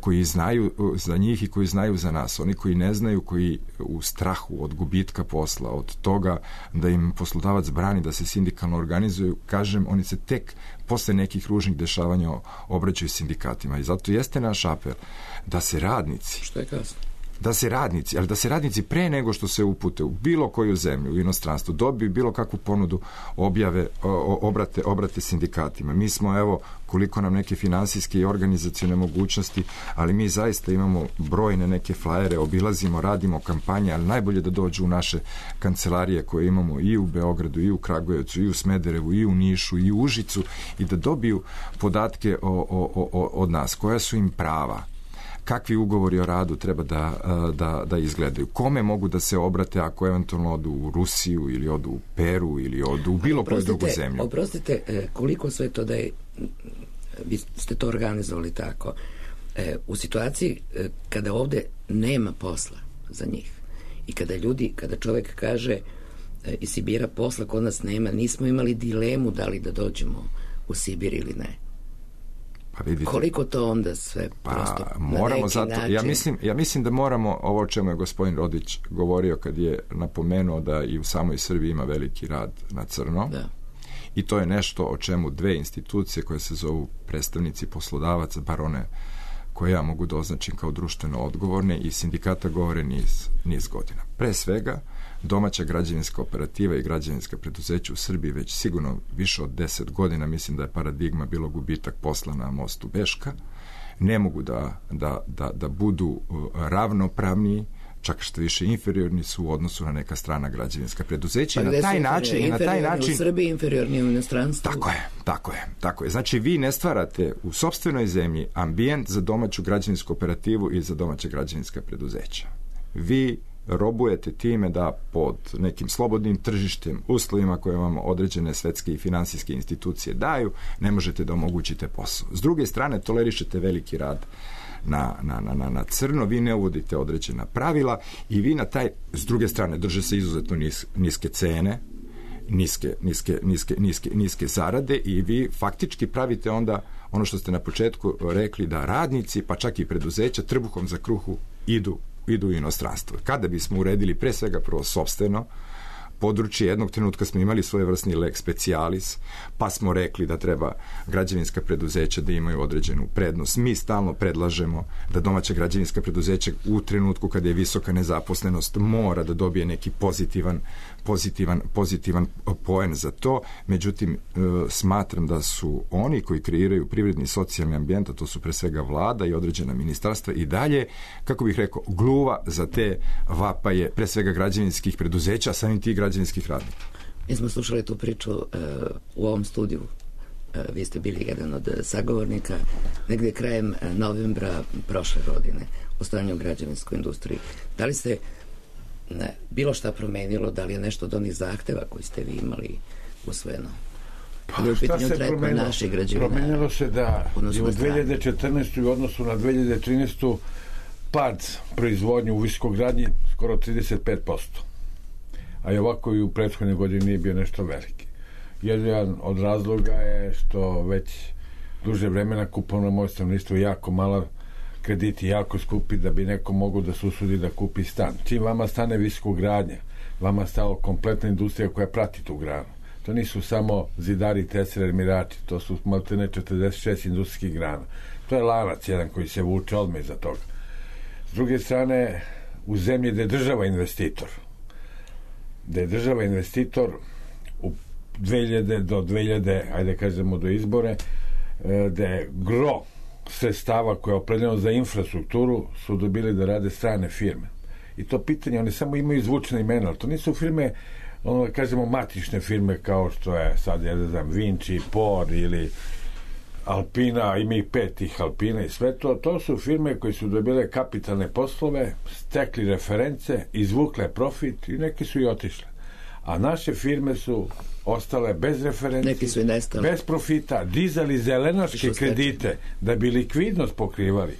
koji znaju za njih i koji znaju za nas. Oni koji ne znaju, koji u strahu od gubitka posla, od toga da im poslodavac brani da se sindikalno organizuju, kažem, oni se tek posle nekih ružnih dešavanja obraćaju sindikatima. I zato jeste naš apel da se radnici... Što je kasno? Ali da se radnici pre nego što se upute u bilo koju zemlju, u inostranstvu, dobiju bilo kakvu ponudu, obrate sindikatima. Mi smo, evo, koliko nam neke finansijske i organizacione mogućnosti, ali mi zaista imamo brojne neke flajere, obilazimo, radimo kampanje, ali najbolje da dođu u naše kancelarije koje imamo i u Beogradu, i u Kragujevcu, i u Smederevu, i u Nišu, i u Užicu, i da dobiju podatke od nas, koja su im prava, kakvi ugovori o radu treba da izgledaju, kome mogu da se obrate ako eventualno odu u Rusiju ili odu u Peru ili odu u bilo koju drugu zemlju. Oprostite, koliko sve to da je, vi ste to organizovali tako, u situaciji kada ovde nema posla za njih i kada čovek kaže iz Sibira posla kod nas nema, nismo imali dilemu da li da dođemo u Sibir ili ne. Pa vidite, koliko to onda sve prosto moramo zato, ja mislim da moramo, ovo o čemu je gospodin Rodić govorio kad je napomenuo da i u samoj Srbiji ima veliki rad na crno, i to je nešto o čemu dve institucije koje se zovu predstavnici poslodavaca, bar one koje ja mogu da označim kao društveno odgovorne, i sindikata govore niz godina. Pre svega, domaća građevinska operativa i građevinska preduzeća u Srbiji već sigurno više od 10 godina, mislim da je paradigma bilo gubitak posla na mostu Beška, ne mogu da budu ravnopravni, čak što više inferiorni su u odnosu na neka strana građevinska preduzeća. Pa na taj način u Srbiji, inferiorni u inostranstvu. Tako je. Znači, vi ne stvarate u sopstvenoj zemlji ambijent za domaću građevinsku operativu i za domaće građevinska preduzeća. Vi robujete time da pod nekim slobodnim tržištem, uslovima koje vam određene svetske i finansijske institucije daju, ne možete da omogućite posao. S druge strane, tolerišete veliki rad na crno, vi ne uvodite određena pravila i vi s druge strane, drže se izuzetno niske cene, niske zarade, i vi faktički pravite onda ono što ste na početku rekli, da radnici, pa čak i preduzeća, trbuhom za kruhu idu u inostranstvo. Kada bismo uredili pre svega prvo sopstveno područje, jednog trenutka smo imali svojevrsni lex specialis, pa smo rekli da treba građevinska preduzeća da imaju određenu prednost. Mi stalno predlažemo da domaća građevinska preduzeća u trenutku kada je visoka nezaposlenost mora da dobije neki pozitivan poen za to. Međutim, smatram da su oni koji kreiraju privredni i socijalni ambijent, a to su pre svega vlada i određena ministarstva, i dalje, kako bih rekao, gluva za te vapaje pre svega građevinskih preduzeća, a samim tih građevinskih radnika. Mi smo slušali tu priču u ovom studiju. Vi ste bili jedan od sagovornika negde krajem novembra prošle godine o stanju u građevinskoj industriji. Da li se bilo šta promenilo, da li je nešto od onih zahteva koji ste vi imali usvojeno? Ali u pitanju tretman naših građevinara. Promenilo se da je u 2014. u odnosu na 2013. pad proizvodnje u visokogradnji skoro 35%. A i ovako i u prethodne godine nije bio nešto veliki. Jedan od razloga je što već duže vremena kupovno moćno isto jako malo, krediti jako skupi da bi neko mogao da se usudi da kupi stan. Čim vama stane visokogradnja, vama stalo kompletna industrija koja prati tu granu. To nisu samo zidari, tesari, armirači, to su maltene 46 industrijskih grana. To je lanac jedan koji se vuče odmah iza toga. S druge strane, u zemlji gde je država investitor, u 2000 do 2000, ajde kažemo do izbore, gde gro sredstava koje je opredeljeno za infrastrukturu su dobili da rade strane firme. I to pitanje, oni samo imaju zvučne imena, ali to nisu firme, ono da kažemo matične firme kao što je sad, ja ne znam, Vinci, Por ili Alpina, ima ih 5 tih Alpina i sve to. To su firme koje su dobile kapitalne poslove, stekli reference, izvukle profit i neke su i otišle. A naše firme su ostale bez referenci, bez profita, dizali zelenaške kredite da bi likvidnost pokrivali.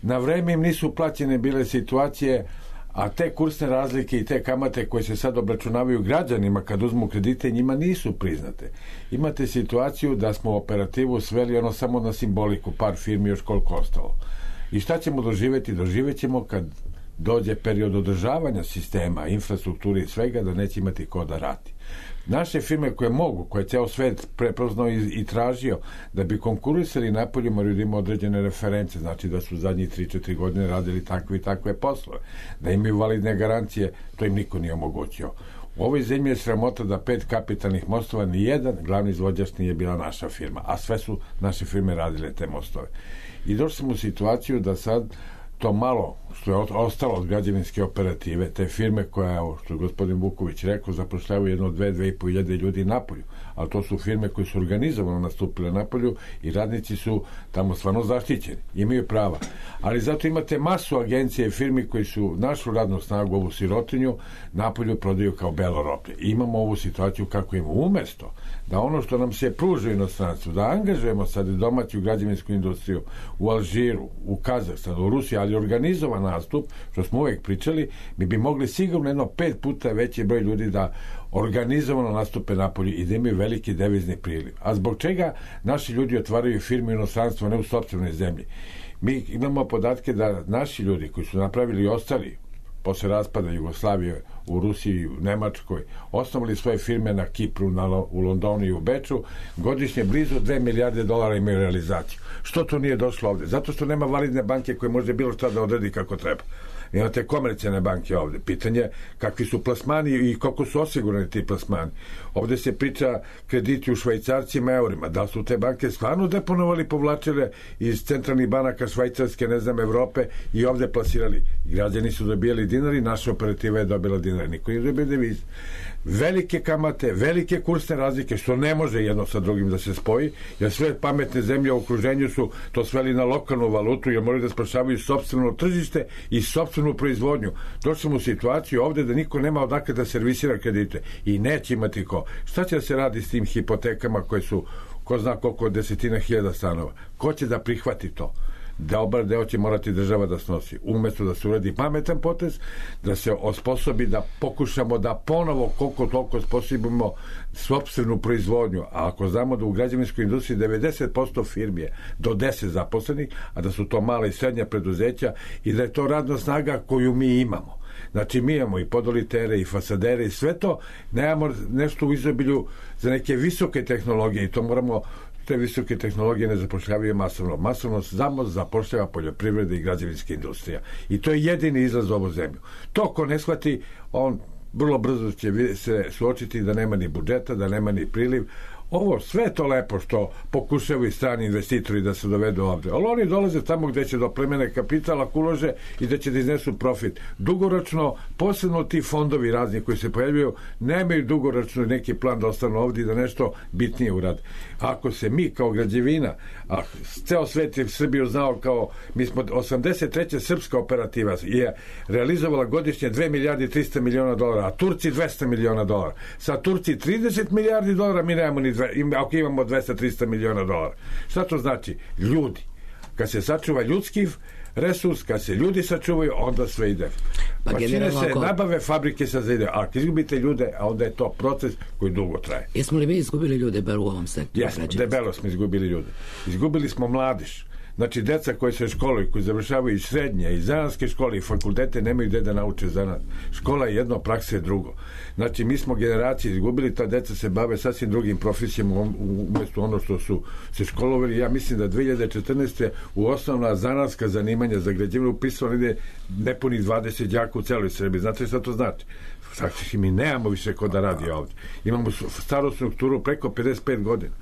Na vreme im nisu plaćene bile situacije, a te kursne razlike i te kamate koje se sad obračunavaju građanima kad uzmu kredite, njima nisu priznate. Imate situaciju da smo operativu sveli ono samo na simboliku, par firmi još koliko ostalo. I šta ćemo doživjeti? Doživjet ćemo kad dođe period održavanja sistema, infrastrukture i svega, da neće imati ko da radi. Naše firme koje mogu, koje je ceo svet prepoznao i tražio da bi konkurisali napolju, moraju da ima određene reference, znači da su zadnjih 3-4 godine radili takve i takve poslove, da imaju validne garancije, to im niko nije omogućio. U ovoj zemlji je sramota da 5 kapitalnih mostova, ni jedan glavni izvođač nije bila naša firma, a sve su naše firme radile te mostove. I došli smo u situaciju da sad to malo što je ostalo od građevinske operative, te firme koja, što je gospodin Vuković rekao, zapošljavaju 2-2,5 hiljade ljudi napolju, ali to su firme koje su organizovano nastupile napolju i radnici su tamo stvarno zaštićeni, imaju prava. Ali zato imate masu agencije i firmi koji su našu radnu snagu, ovu sirotinju, napolju prodaju kao belo roblje. Imamo ovu situaciju kako imamo. Umesto da ono što nam se pruža u inostranstvu, da angažujemo sad domaću građevinsku industriju u Alžiru, u Kazahstanu, u Rusiji, ali organizovan nastup, što smo uvek pričali, mi bi mogli sigurno 5 puta veći broj ljudi da organizovano nastupe napolju i da imaju veliki devizni priliv. A zbog čega naši ljudi otvaraju firme u inostranstvu, ne u sopstvenoj zemlji? Mi imamo podatke da naši ljudi koji su napravili i ostali posle raspada Jugoslavije u Rusiji, u Nemačkoj, osnovali svoje firme na Kipru, u Londonu i u Beču, godišnje blizu $2 milijarde imaju realizaciju. Što to nije došlo ovde? Zato što nema validne banke koje može bilo šta da odredi kako treba. Imate komercijalne banke ovde. Pitanje kakvi su plasmani i koliko su osigurani ti plasmani. Ovde se priča krediti u švajcarcima, eurima. Da su te banke stvarno deponovali, povlačile iz centralnih banaka švajcarske, ne znam, Evrope i ovde plasirali. Građani su dobijali dinari, naša operativa je dobila dinari. Niko nije dobio devize. Velike kamate, velike kursne razlike, što ne može jedno sa drugim da se spoji, jer sve pametne zemlje u okruženju su to sveli na lokalnu valutu, jer moraju da spašavaju sopstveno tržište i sopstvenu proizvodnju. Došli smo u situaciju ovde da niko nema odakle da servisira kredite i neće imati ko. Šta će da se radi s tim hipotekama koje su ko zna koliko desetina hiljada stanova? Ko će da prihvati to? Dobar deo će morati država da snosi. Umesto da se uradi pametan potez, da se osposobi da pokušamo da ponovo koliko toliko osposobimo sopstvenu proizvodnju. A ako znamo da u građevinskoj industriji 90% firmi je do 10 zaposlenih, a da su to mala i srednja preduzeća i da je to radna snaga koju mi imamo. Znači mi imamo i podolitere i fasadere i sve to, nemamo nešto u izobilju za neke visoke tehnologije i to moramo. Te visoke tehnologije ne zapošljavaju masovno. Masovno samo zapošljava poljoprivreda i građevinska industrija. I to je jedini izlaz za ovu zemlju. To ko ne shvati, on vrlo brzo će se suočiti da nema ni budžeta, da nema ni priliv. Ovo sve to lepo što pokušavaju strani investitori da se dovedu ovde. Ali oni dolaze tamo gde će do plemene kapitala ulože i da će da iznesu profit. Dugoročno, posebno ti fondovi razni koji se pojavljaju, nemaju dugoročno neki plan da ostanu ovde i da nešto bitnije urade. Ako se mi kao građevina, a ceo svet je Srbiju znao kao, mi smo 83. srpska operativa je realizovala godišnje $2 milijardi 300 miliona, a Turci $200 miliona. Sa Turci $30 milijardi, mi nemamo ni $2 ako imamo 200-300 miliona dolara. Šta to znači? Ljudi. Kad se sačuva ljudski resurs, kad se ljudi sačuvaju, onda sve ide. Mašine se nabave, fabrike se zaide. A ako izgubite ljude, a onda je to proces koji dugo traje. Jesmo li mi izgubili ljude bar u ovom sektoru? Jesmo, debelo smo izgubili ljude. Izgubili smo mladež. Znači, deca koji se školuju, koji završavaju i srednje, i zanatske škole, i fakultete, nemaju gde da nauče zanat. Škola je jedno, praksa je drugo. Znači, mi smo generacije izgubili, ta deca se bave sasvim drugim profesijama umjesto ono što su se školovali. Ja mislim da 2014. u osnovna zanatska zanimanja za građevinu upisano ide nepunih 20 đaka u celoj Srbiji. Znate šta to znači? Znači, mi nemamo više ko da radi ovdje. Imamo staru strukturu preko 55 godina.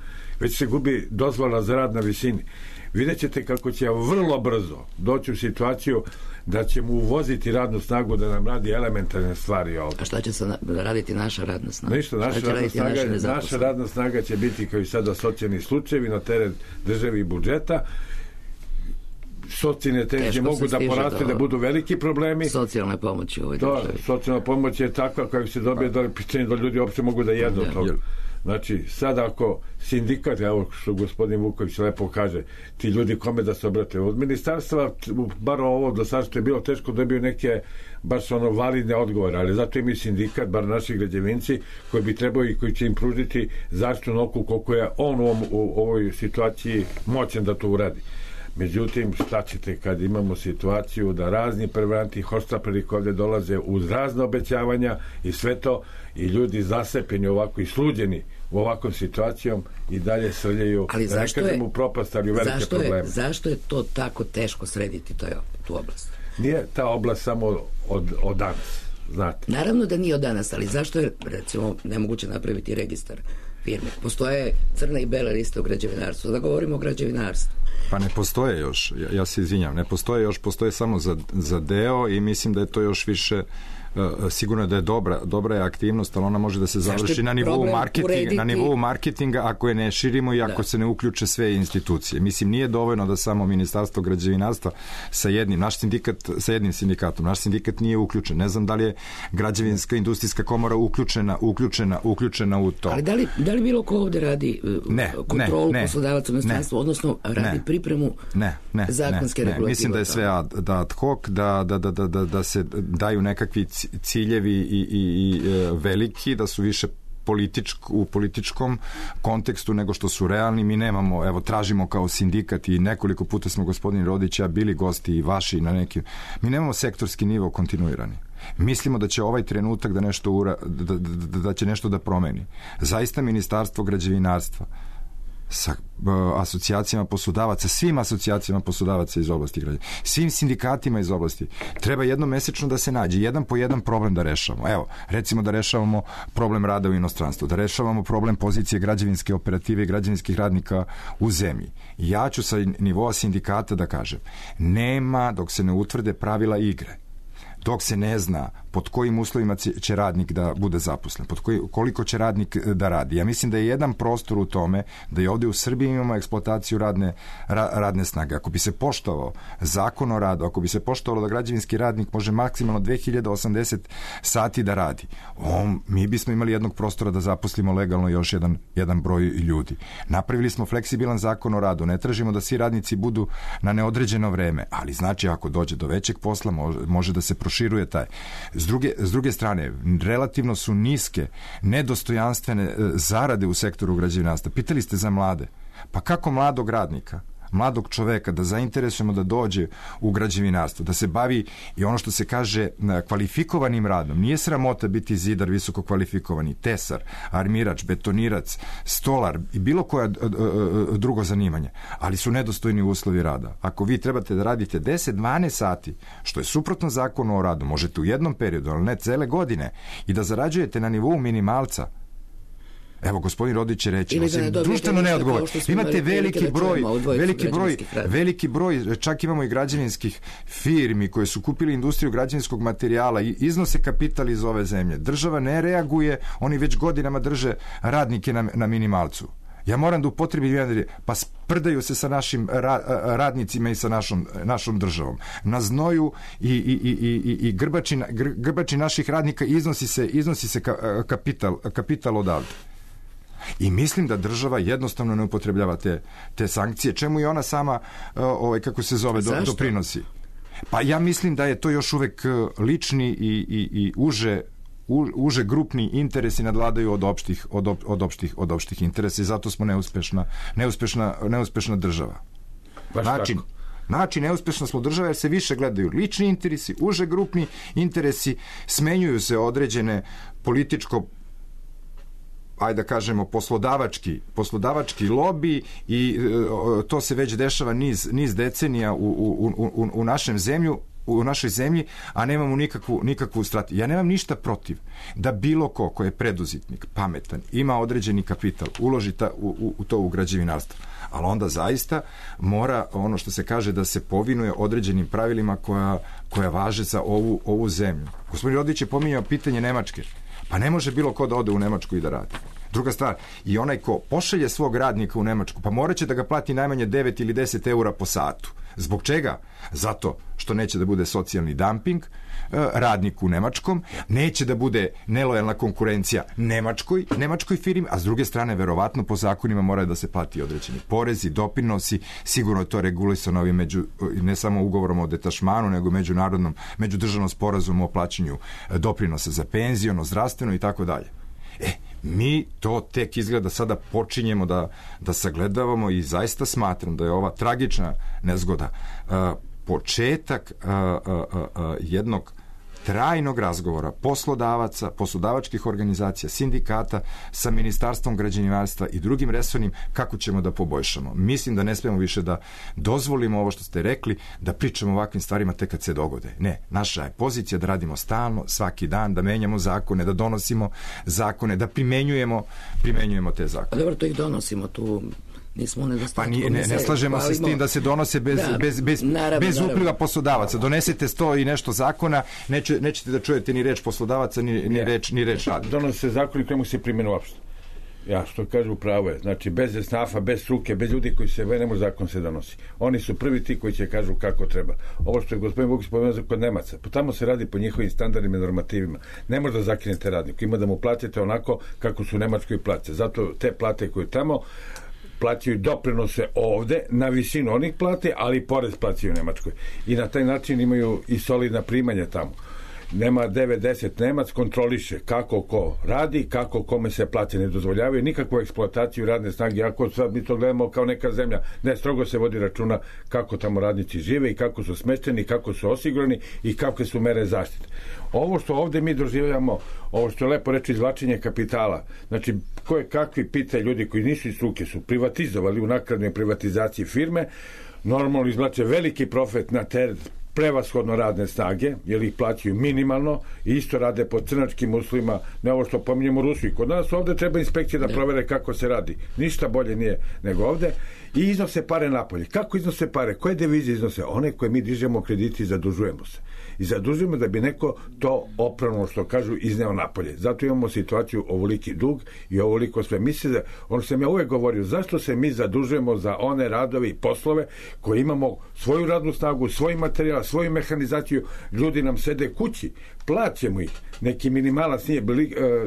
Već se gubi dozvola za rad na visini. Vidjet ćete kako će vrlo brzo doći u situaciju da ćemo uvoziti radnu snagu da nam radi elementarne stvari ovdje. A šta će se raditi naša radna snaga? Ništa, naša radna snaga će biti kao i sada socijalni slučajevi na teret države i budžeta. Socijalne tenzije mogu da poraste, da budu veliki problemi. Socijalna pomoć u ovoj državi. Socijalna pomoć je takva koja se dobije da ljudi uopšte mogu da jedu od toga. Znači, sad ako sindikat, evo što gospodin Vuković lepo kaže, ti ljudi kome da se obrate od ministarstva, bar ovo do sad što je bilo teško dobiju neke baš validne odgovore, ali zato imaju sindikat, bar naši građevinci koji bi trebao i koji će im pružiti zaštitu na oku koliko je on u ovoj situaciji moćan da to uradi. Međutim, šta ćete kad imamo situaciju da razni prevaranti hoštapleri ovdje dolaze uz razne obećavanja i sve to, i ljudi zasepeni ovako i sluđeni u ovakvom situacijom i dalje srljaju, da ne kažem u propast, ali u velike probleme. Zašto je to tako teško srediti tu oblast? Nije ta oblast samo od danas, znate. Naravno da nije od danas, ali zašto je, recimo, nemoguće napraviti registar firme? Postoje crne i bele liste u građevinarstvu. Da govorimo o građevinarstvu. Pa ne postoje još, ja se izvinjam, ne postoje još, postoje samo za deo i mislim da je to još više, sigurno da je dobra je aktivnost, ali ona može da se završi na nivou marketinga ako je ne širimo i ako se ne uključe sve institucije. Mislim, nije dovoljno da samo Ministarstvo građevinarstva sa jednim sindikatom. Naš sindikat nije uključen. Ne znam da li je Građevinska industrijska komora uključena u to. Ali da li bilo ko ovde radi kontrolu poslodavaca u inostranstvu, odnosno radi pripremu zakonske regulative? Mislim da je sve ad hoc, da se daju nekakvi ciljevi i veliki, da su više u političkom kontekstu nego što su realni. Mi nemamo, evo, tražimo kao sindikat i nekoliko puta smo, gospodin Rodić, bili gosti i vaši na nekim, mi nemamo sektorski nivo kontinuirani. Mislimo da će ovaj trenutak da će nešto da promeni. Zaista Ministarstvo građevinarstva sa asocijacijama poslodavaca, svim asocijacijama poslodavaca iz oblasti građana, svim sindikatima iz oblasti, treba jednomesečno da se nađe, jedan po jedan problem da rešavamo. Evo, recimo da rešavamo problem rada u inostranstvu, da rešavamo problem pozicije građevinske operative i građevinskih radnika u zemlji. Ja ću sa nivoa sindikata da kažem, nema dok se ne utvrde pravila igre, dok se ne zna pod kojim uslovima će radnik da bude zaposlen, koliko će radnik da radi. Ja mislim da je jedan prostor u tome da i ovdje u Srbiji imamo eksploataciju radne snage. Ako bi se poštovao zakon o radu, ako bi se poštovalo da građevinski radnik može maksimalno 2080 sati da radi, mi bismo imali jednog prostora da zaposlimo legalno još jedan broj ljudi. Napravili smo fleksibilan zakon o radu, ne tražimo da svi radnici budu na neodređeno vreme, ali znači ako dođe do većeg posla može da se proširuje taj. S druge strane, relativno su niske, nedostojanstvene zarade u sektoru građevinarstva. Pitali ste za mlade. Pa kako mladog radnika, mladog čoveka da zainteresujemo da dođe u građevinarstvo, da se bavi i ono što se kaže kvalifikovanim radom. Nije sramota biti zidar visoko kvalifikovani, tesar, armirač, betonirac, stolar i bilo koja drugo zanimanje, ali su nedostojni uslovi rada. Ako vi trebate da radite 10-12 sati, što je suprotno zakonu o radu, možete u jednom periodu, ali ne cele godine, i da zarađujete na nivou minimalca. Evo, gospodin Rodić će reći, društveno neodgovor. Imate veliki broj, čak imamo i građevinskih firmi koje su kupili industriju građevinskog materijala i iznose kapital iz ove zemlje. Država ne reaguje, oni već godinama drže radnike na minimalcu. Ja moram da upotrebim pa sprdaju se sa našim radnicima i sa našom državom. Na znoju i grbači naših radnika iznosi se kapital odavde. I mislim da država jednostavno ne upotrebljava te sankcije, čemu i ona sama, kako se zove, doprinosi. Pa ja mislim da je to još uvek lični i uže grupni interesi nadvladaju od opštih interesa i zato smo neuspešna država. Znači, neuspešna smo država jer se više gledaju lični interesi, uže grupni interesi, smenjuju se određene političko, ajde da kažemo, poslodavački lobi i to se već dešava niz decenija u našoj zemlji, a nemamo nikakvu strategiju. Ja nemam ništa protiv da bilo ko je preduzetnik, pametan, ima određeni kapital, uloži u građevinarstvo. Ali onda zaista mora, ono što se kaže, da se povinuje određenim pravilima koja važe za ovu zemlju. Gospodin Rodić je pominjao pitanje Nemačke. Pa ne može bilo ko da ode u Nemačku i da radi. Druga stvar, i onaj ko pošalje svog radnika u Nemačku, pa morat će da ga plati najmanje 9 ili 10 eura po satu. Zbog čega? Zato što neće da bude socijalni dumping radniku u Nemačkom, neće da bude nelojalna konkurencija nemačkoj firmi, a s druge strane, verovatno po zakonima moraju da se plati određeni porezi, doprinosi, sigurno je to regulisano ne samo ugovorom o detašmanu, nego međudržavnom sporazumu o plaćanju doprinosa za penziono, zdravstveno i tako dalje. Mi to tek izgleda sada počinjemo da sagledavamo i zaista smatram da je ova tragična nezgoda početak jednog trajnog razgovora poslodavaca, poslodavačkih organizacija, sindikata sa Ministarstvom građevinarstva i drugim resornim kako ćemo da poboljšamo. Mislim da ne smemo više da dozvolimo ovo što ste rekli, da pričamo o ovakvim stvarima tek kad se dogode. Ne, naša je pozicija da radimo stalno, svaki dan, da menjamo zakone, da donosimo zakone, da primenjujemo te zakone. Dobro, to ih donosimo tu. Pa ne slažemo se s tim da se donose bez upliva poslodavaca. Donesete 100 i nešto zakona, nećete da čujete ni reč poslodavaca, ni reč radnika. Donose se zakoni kojemu se primjenu uopšte. Ja, što kažu, pravo je. Znači, bez esnafa, bez struke, bez ljudi koji se venemo, zakon se donosi. Oni su prvi ti koji će kažu kako treba. Ovo što je gospodin Vukić spomenuo kod Nemaca, pa tamo se radi po njihovim standardima i normativima. Ne može da zakinete radniku. Ima da mu platite onako kako su u Nemačkoj plaće. Zato te plate koje tamo plaćaju doprinose ovde na visinu onih plate, ali porez plaćaju u Nemačkoj. I na taj način imaju i solidna primanja tamo. Nema 9-10 Nemac, kontroliše kako ko radi, kako kome se plate ne dozvoljavaju, nikakvu eksploataciju radne snage, ako sad mi to gledamo kao neka zemlja, ne, strogo se vodi računa kako tamo radnici žive i kako su smešteni, kako su osigurani i kakve su mere zaštite. Ovo što ovde mi doživljamo, ovo što je lepo reći izvlačenje kapitala, znači koje kakvi pite ljudi koji nisu iz struke su privatizovali u nakladnoj privatizaciji firme, normalno izvlače veliki profit na teret prevashodno radne snage, jer ih plaćaju minimalno i isto rade po crnačkim uslovima, ne ovo što pominjemo u Rusiji. Kod nas ovde treba inspekcije da provere kako se radi. Ništa bolje nije nego ovde. I iznose pare napolje. Kako iznose pare? Koje devize iznose? One koje mi dižemo krediti i zadužujemo se. I zadužujemo da bi neko to opravno, što kažu, izneo napolje. Zato imamo situaciju ovoliki dug i ovoliko sve. Misle da, ono što sam ja uvek govorio, zašto se mi zadužujemo za one radove i poslove koje imamo svoju radnu snagu, svoj materijal, svoju mehanizaciju, ljudi nam sede kući, plaćemo ih, neki minimalac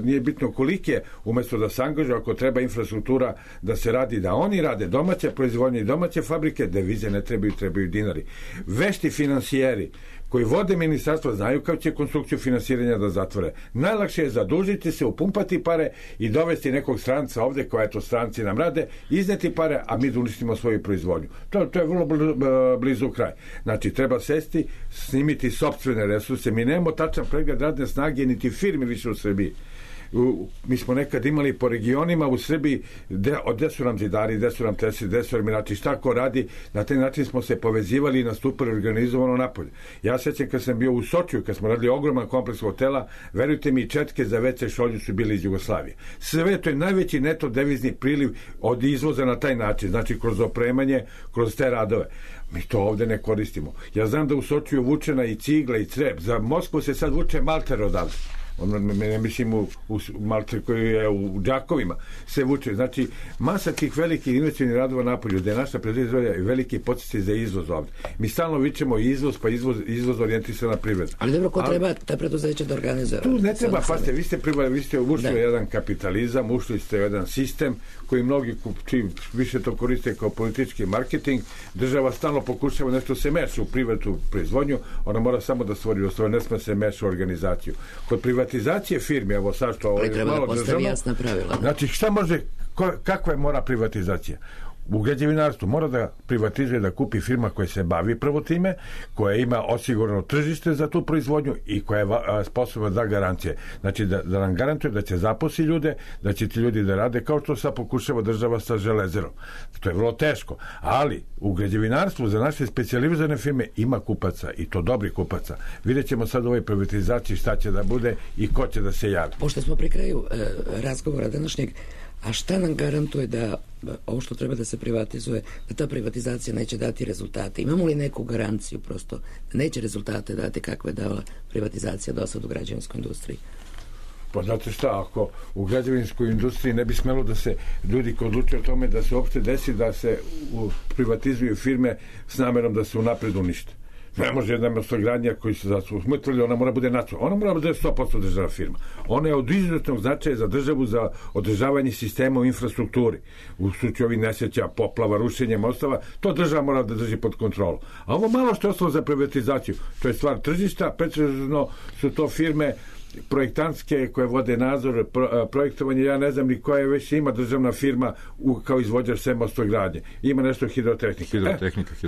nije bitno koliki je, umesto da se angažuje, ako treba infrastruktura da se radi, da oni rade domaće proizvodnje i domaće fabrike, devize ne trebaju dinari. Vešti finansijeri koji vode ministarstvo znaju kako će konstrukciju finansiranja da zatvore. Najlakše je zadužiti se, upumpati pare i dovesti nekog stranca ovde, koja eto stranci nam rade, izneti pare, a mi da uništimo svoju proizvodnju. To je vrlo blizu kraj. Znači, treba sesti, snimiti sopstvene resurse. Mi nemamo tačan pregled radne snage, niti firme više u Srbiji. Mi smo nekad imali po regionima u Srbiji gde su nam zidari, gde su nam tesari, gde su armirači, šta ko radi, na taj način smo se povezivali i nastupali organizovano napolje. Ja sećam kad sam bio u Sočiju, kad smo radili ogroman kompleks hotela, verujte mi, četke za WC šolju su bili iz Jugoslavije. Sve to je najveći neto devizni priliv od izvoza na taj način, znači kroz opremanje, kroz te radove. Mi to ovde ne koristimo. Ja znam da u Sočiju vučena i cigla i crep, za Moskvu se sad vuče malter odavde. ne mislim u Malče koji je u Đakovima, se vuče. Znači, masa tih velikih investicionih radova napolju, gde je naša predizvodja i veliki podsjeci za izvoz ovde. Mi stalno vičemo izvoz, pa izvoz orijentisana privreda. Ali dobro, ko treba ta preduzeća da organizuje? Tu ne treba, pazite, vi ste ušli u jedan kapitalizam, ušli ste u jedan sistem koji mnogi više to koriste kao politički marketing. Država stalno pokušava nešto se meša u privatnu proizvodnju, ona mora samo da stvori uslove, ne sme se meša u organizaciju. Kod privatizacije firme, evo sad što ovo je malo državno, jasna pravila. Znači, šta može, kakva je mora privatizacija? U građevinarstvu mora da privatizuje, da kupi firma koja se bavi prvo time, koja ima osigurano tržište za tu proizvodnju i koja je sposobna da garancije. Znači da nam garantuje da će zaposli ljude, da će ti ljudi da rade kao što sad pokušava država sa železerom. To je vrlo teško. Ali u građevinarstvu za naše specijalizovane firme ima kupaca i to dobri kupaca. Vidjet ćemo sad u ovoj privatizaciji šta će da bude i ko će da se javi. Pošto smo pri kraju razgovora današnjeg, a šta nam garantuje da ovo što treba da se privatizuje, da ta privatizacija neće dati rezultate? Imamo li neku garanciju prosto da neće rezultate dati kakve je dala privatizacija do sad u građevinskoj industriji? Pa znate šta, ako u građevinskoj industriji ne bi smelo da se ljudi koji odlučuju o tome da se uopšte desi da se privatizuju firme s namerom da se unapred unište. Ne može jedna mostogradnja koji se zasmutrili, ona mora bude nacionalna. Ona mora bude 100% državna firma. Ona je od izuzetnog značaja za državu za održavanje sistema u infrastrukturi. U slučaju ovih nesreća, poplava, rušenja mostova, to država mora da drži pod kontrolu. A ovo malo što je ostalo za privatizaciju, to je stvar tržišta, pretežno su to firme projektantske koje vode nadzor, projektovanje, ja ne znam ni koja je već ima državna firma kao izvođač sve mostogradnje. Ima nešto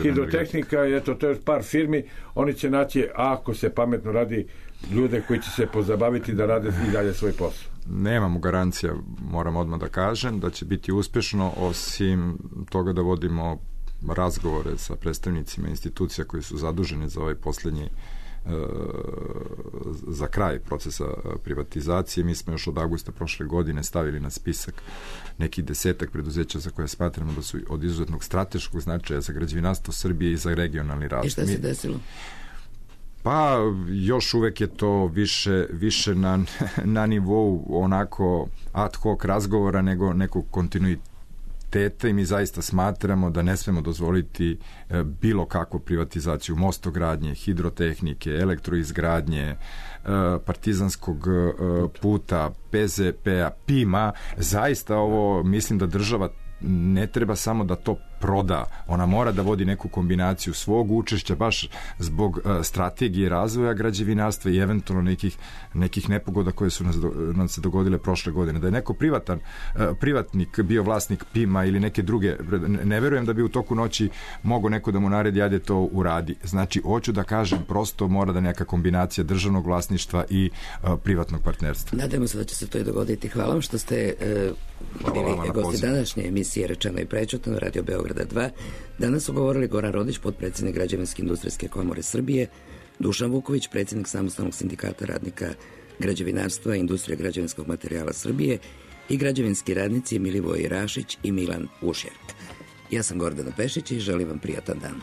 hidrotehnika, eto, to je par firmi, oni će naći, ako se pametno radi, ljude koji će se pozabaviti da rade i dalje svoj posao. Nemamo garancija, moram odmah da kažem, da će biti uspešno, osim toga da vodimo razgovore sa predstavnicima institucija koji su zaduženi za ovaj poslednji za kraj procesa privatizacije. Mi smo još od avgusta prošle godine stavili na spisak nekih 10 preduzeća za koje smatramo da su od izuzetnog strateškog značaja za građevinarstvo Srbije i za regionalni razvoj. I šta se desilo? Pa još uvek je to više na nivou onako ad hoc razgovora nego nekog kontinuiteta i mi zaista smatramo da ne smemo dozvoliti bilo kakvu privatizaciju mostogradnje, hidrotehnike, elektroizgradnje, partizanskog puta, PZP-a, PIM-a. Zaista ovo mislim da država ne treba samo da to proda, ona mora da vodi neku kombinaciju svog učešća baš zbog strategije razvoja građevinarstva i eventualno nekih nepogoda koje su nam se dogodile prošle godine. Da je neko privatnik bio vlasnik PIM-a ili neke druge, ne verujem da bi u toku noći mogo neko da mu naredi ajde to uradi. Znači, hoću da kažem, prosto mora da neka kombinacija državnog vlasništva i privatnog partnerstva. Nadamo se da će se to i dogoditi. Hvala vam što ste bili gosti današnje emisije Rečeno i prećutno, Radio Beograda 2. Danas su govorili Goran Rodić, potpredsjednik Građevinske industrijske komore Srbije, Dušan Vuković, predsjednik Samostalnog sindikata radnika građevinarstva i industrije građevinskog materijala Srbije i građevinski radnici Milivoje Rašić i Milan Ušjerk. Ja sam Gordana Pešić i želim vam prijatan dan.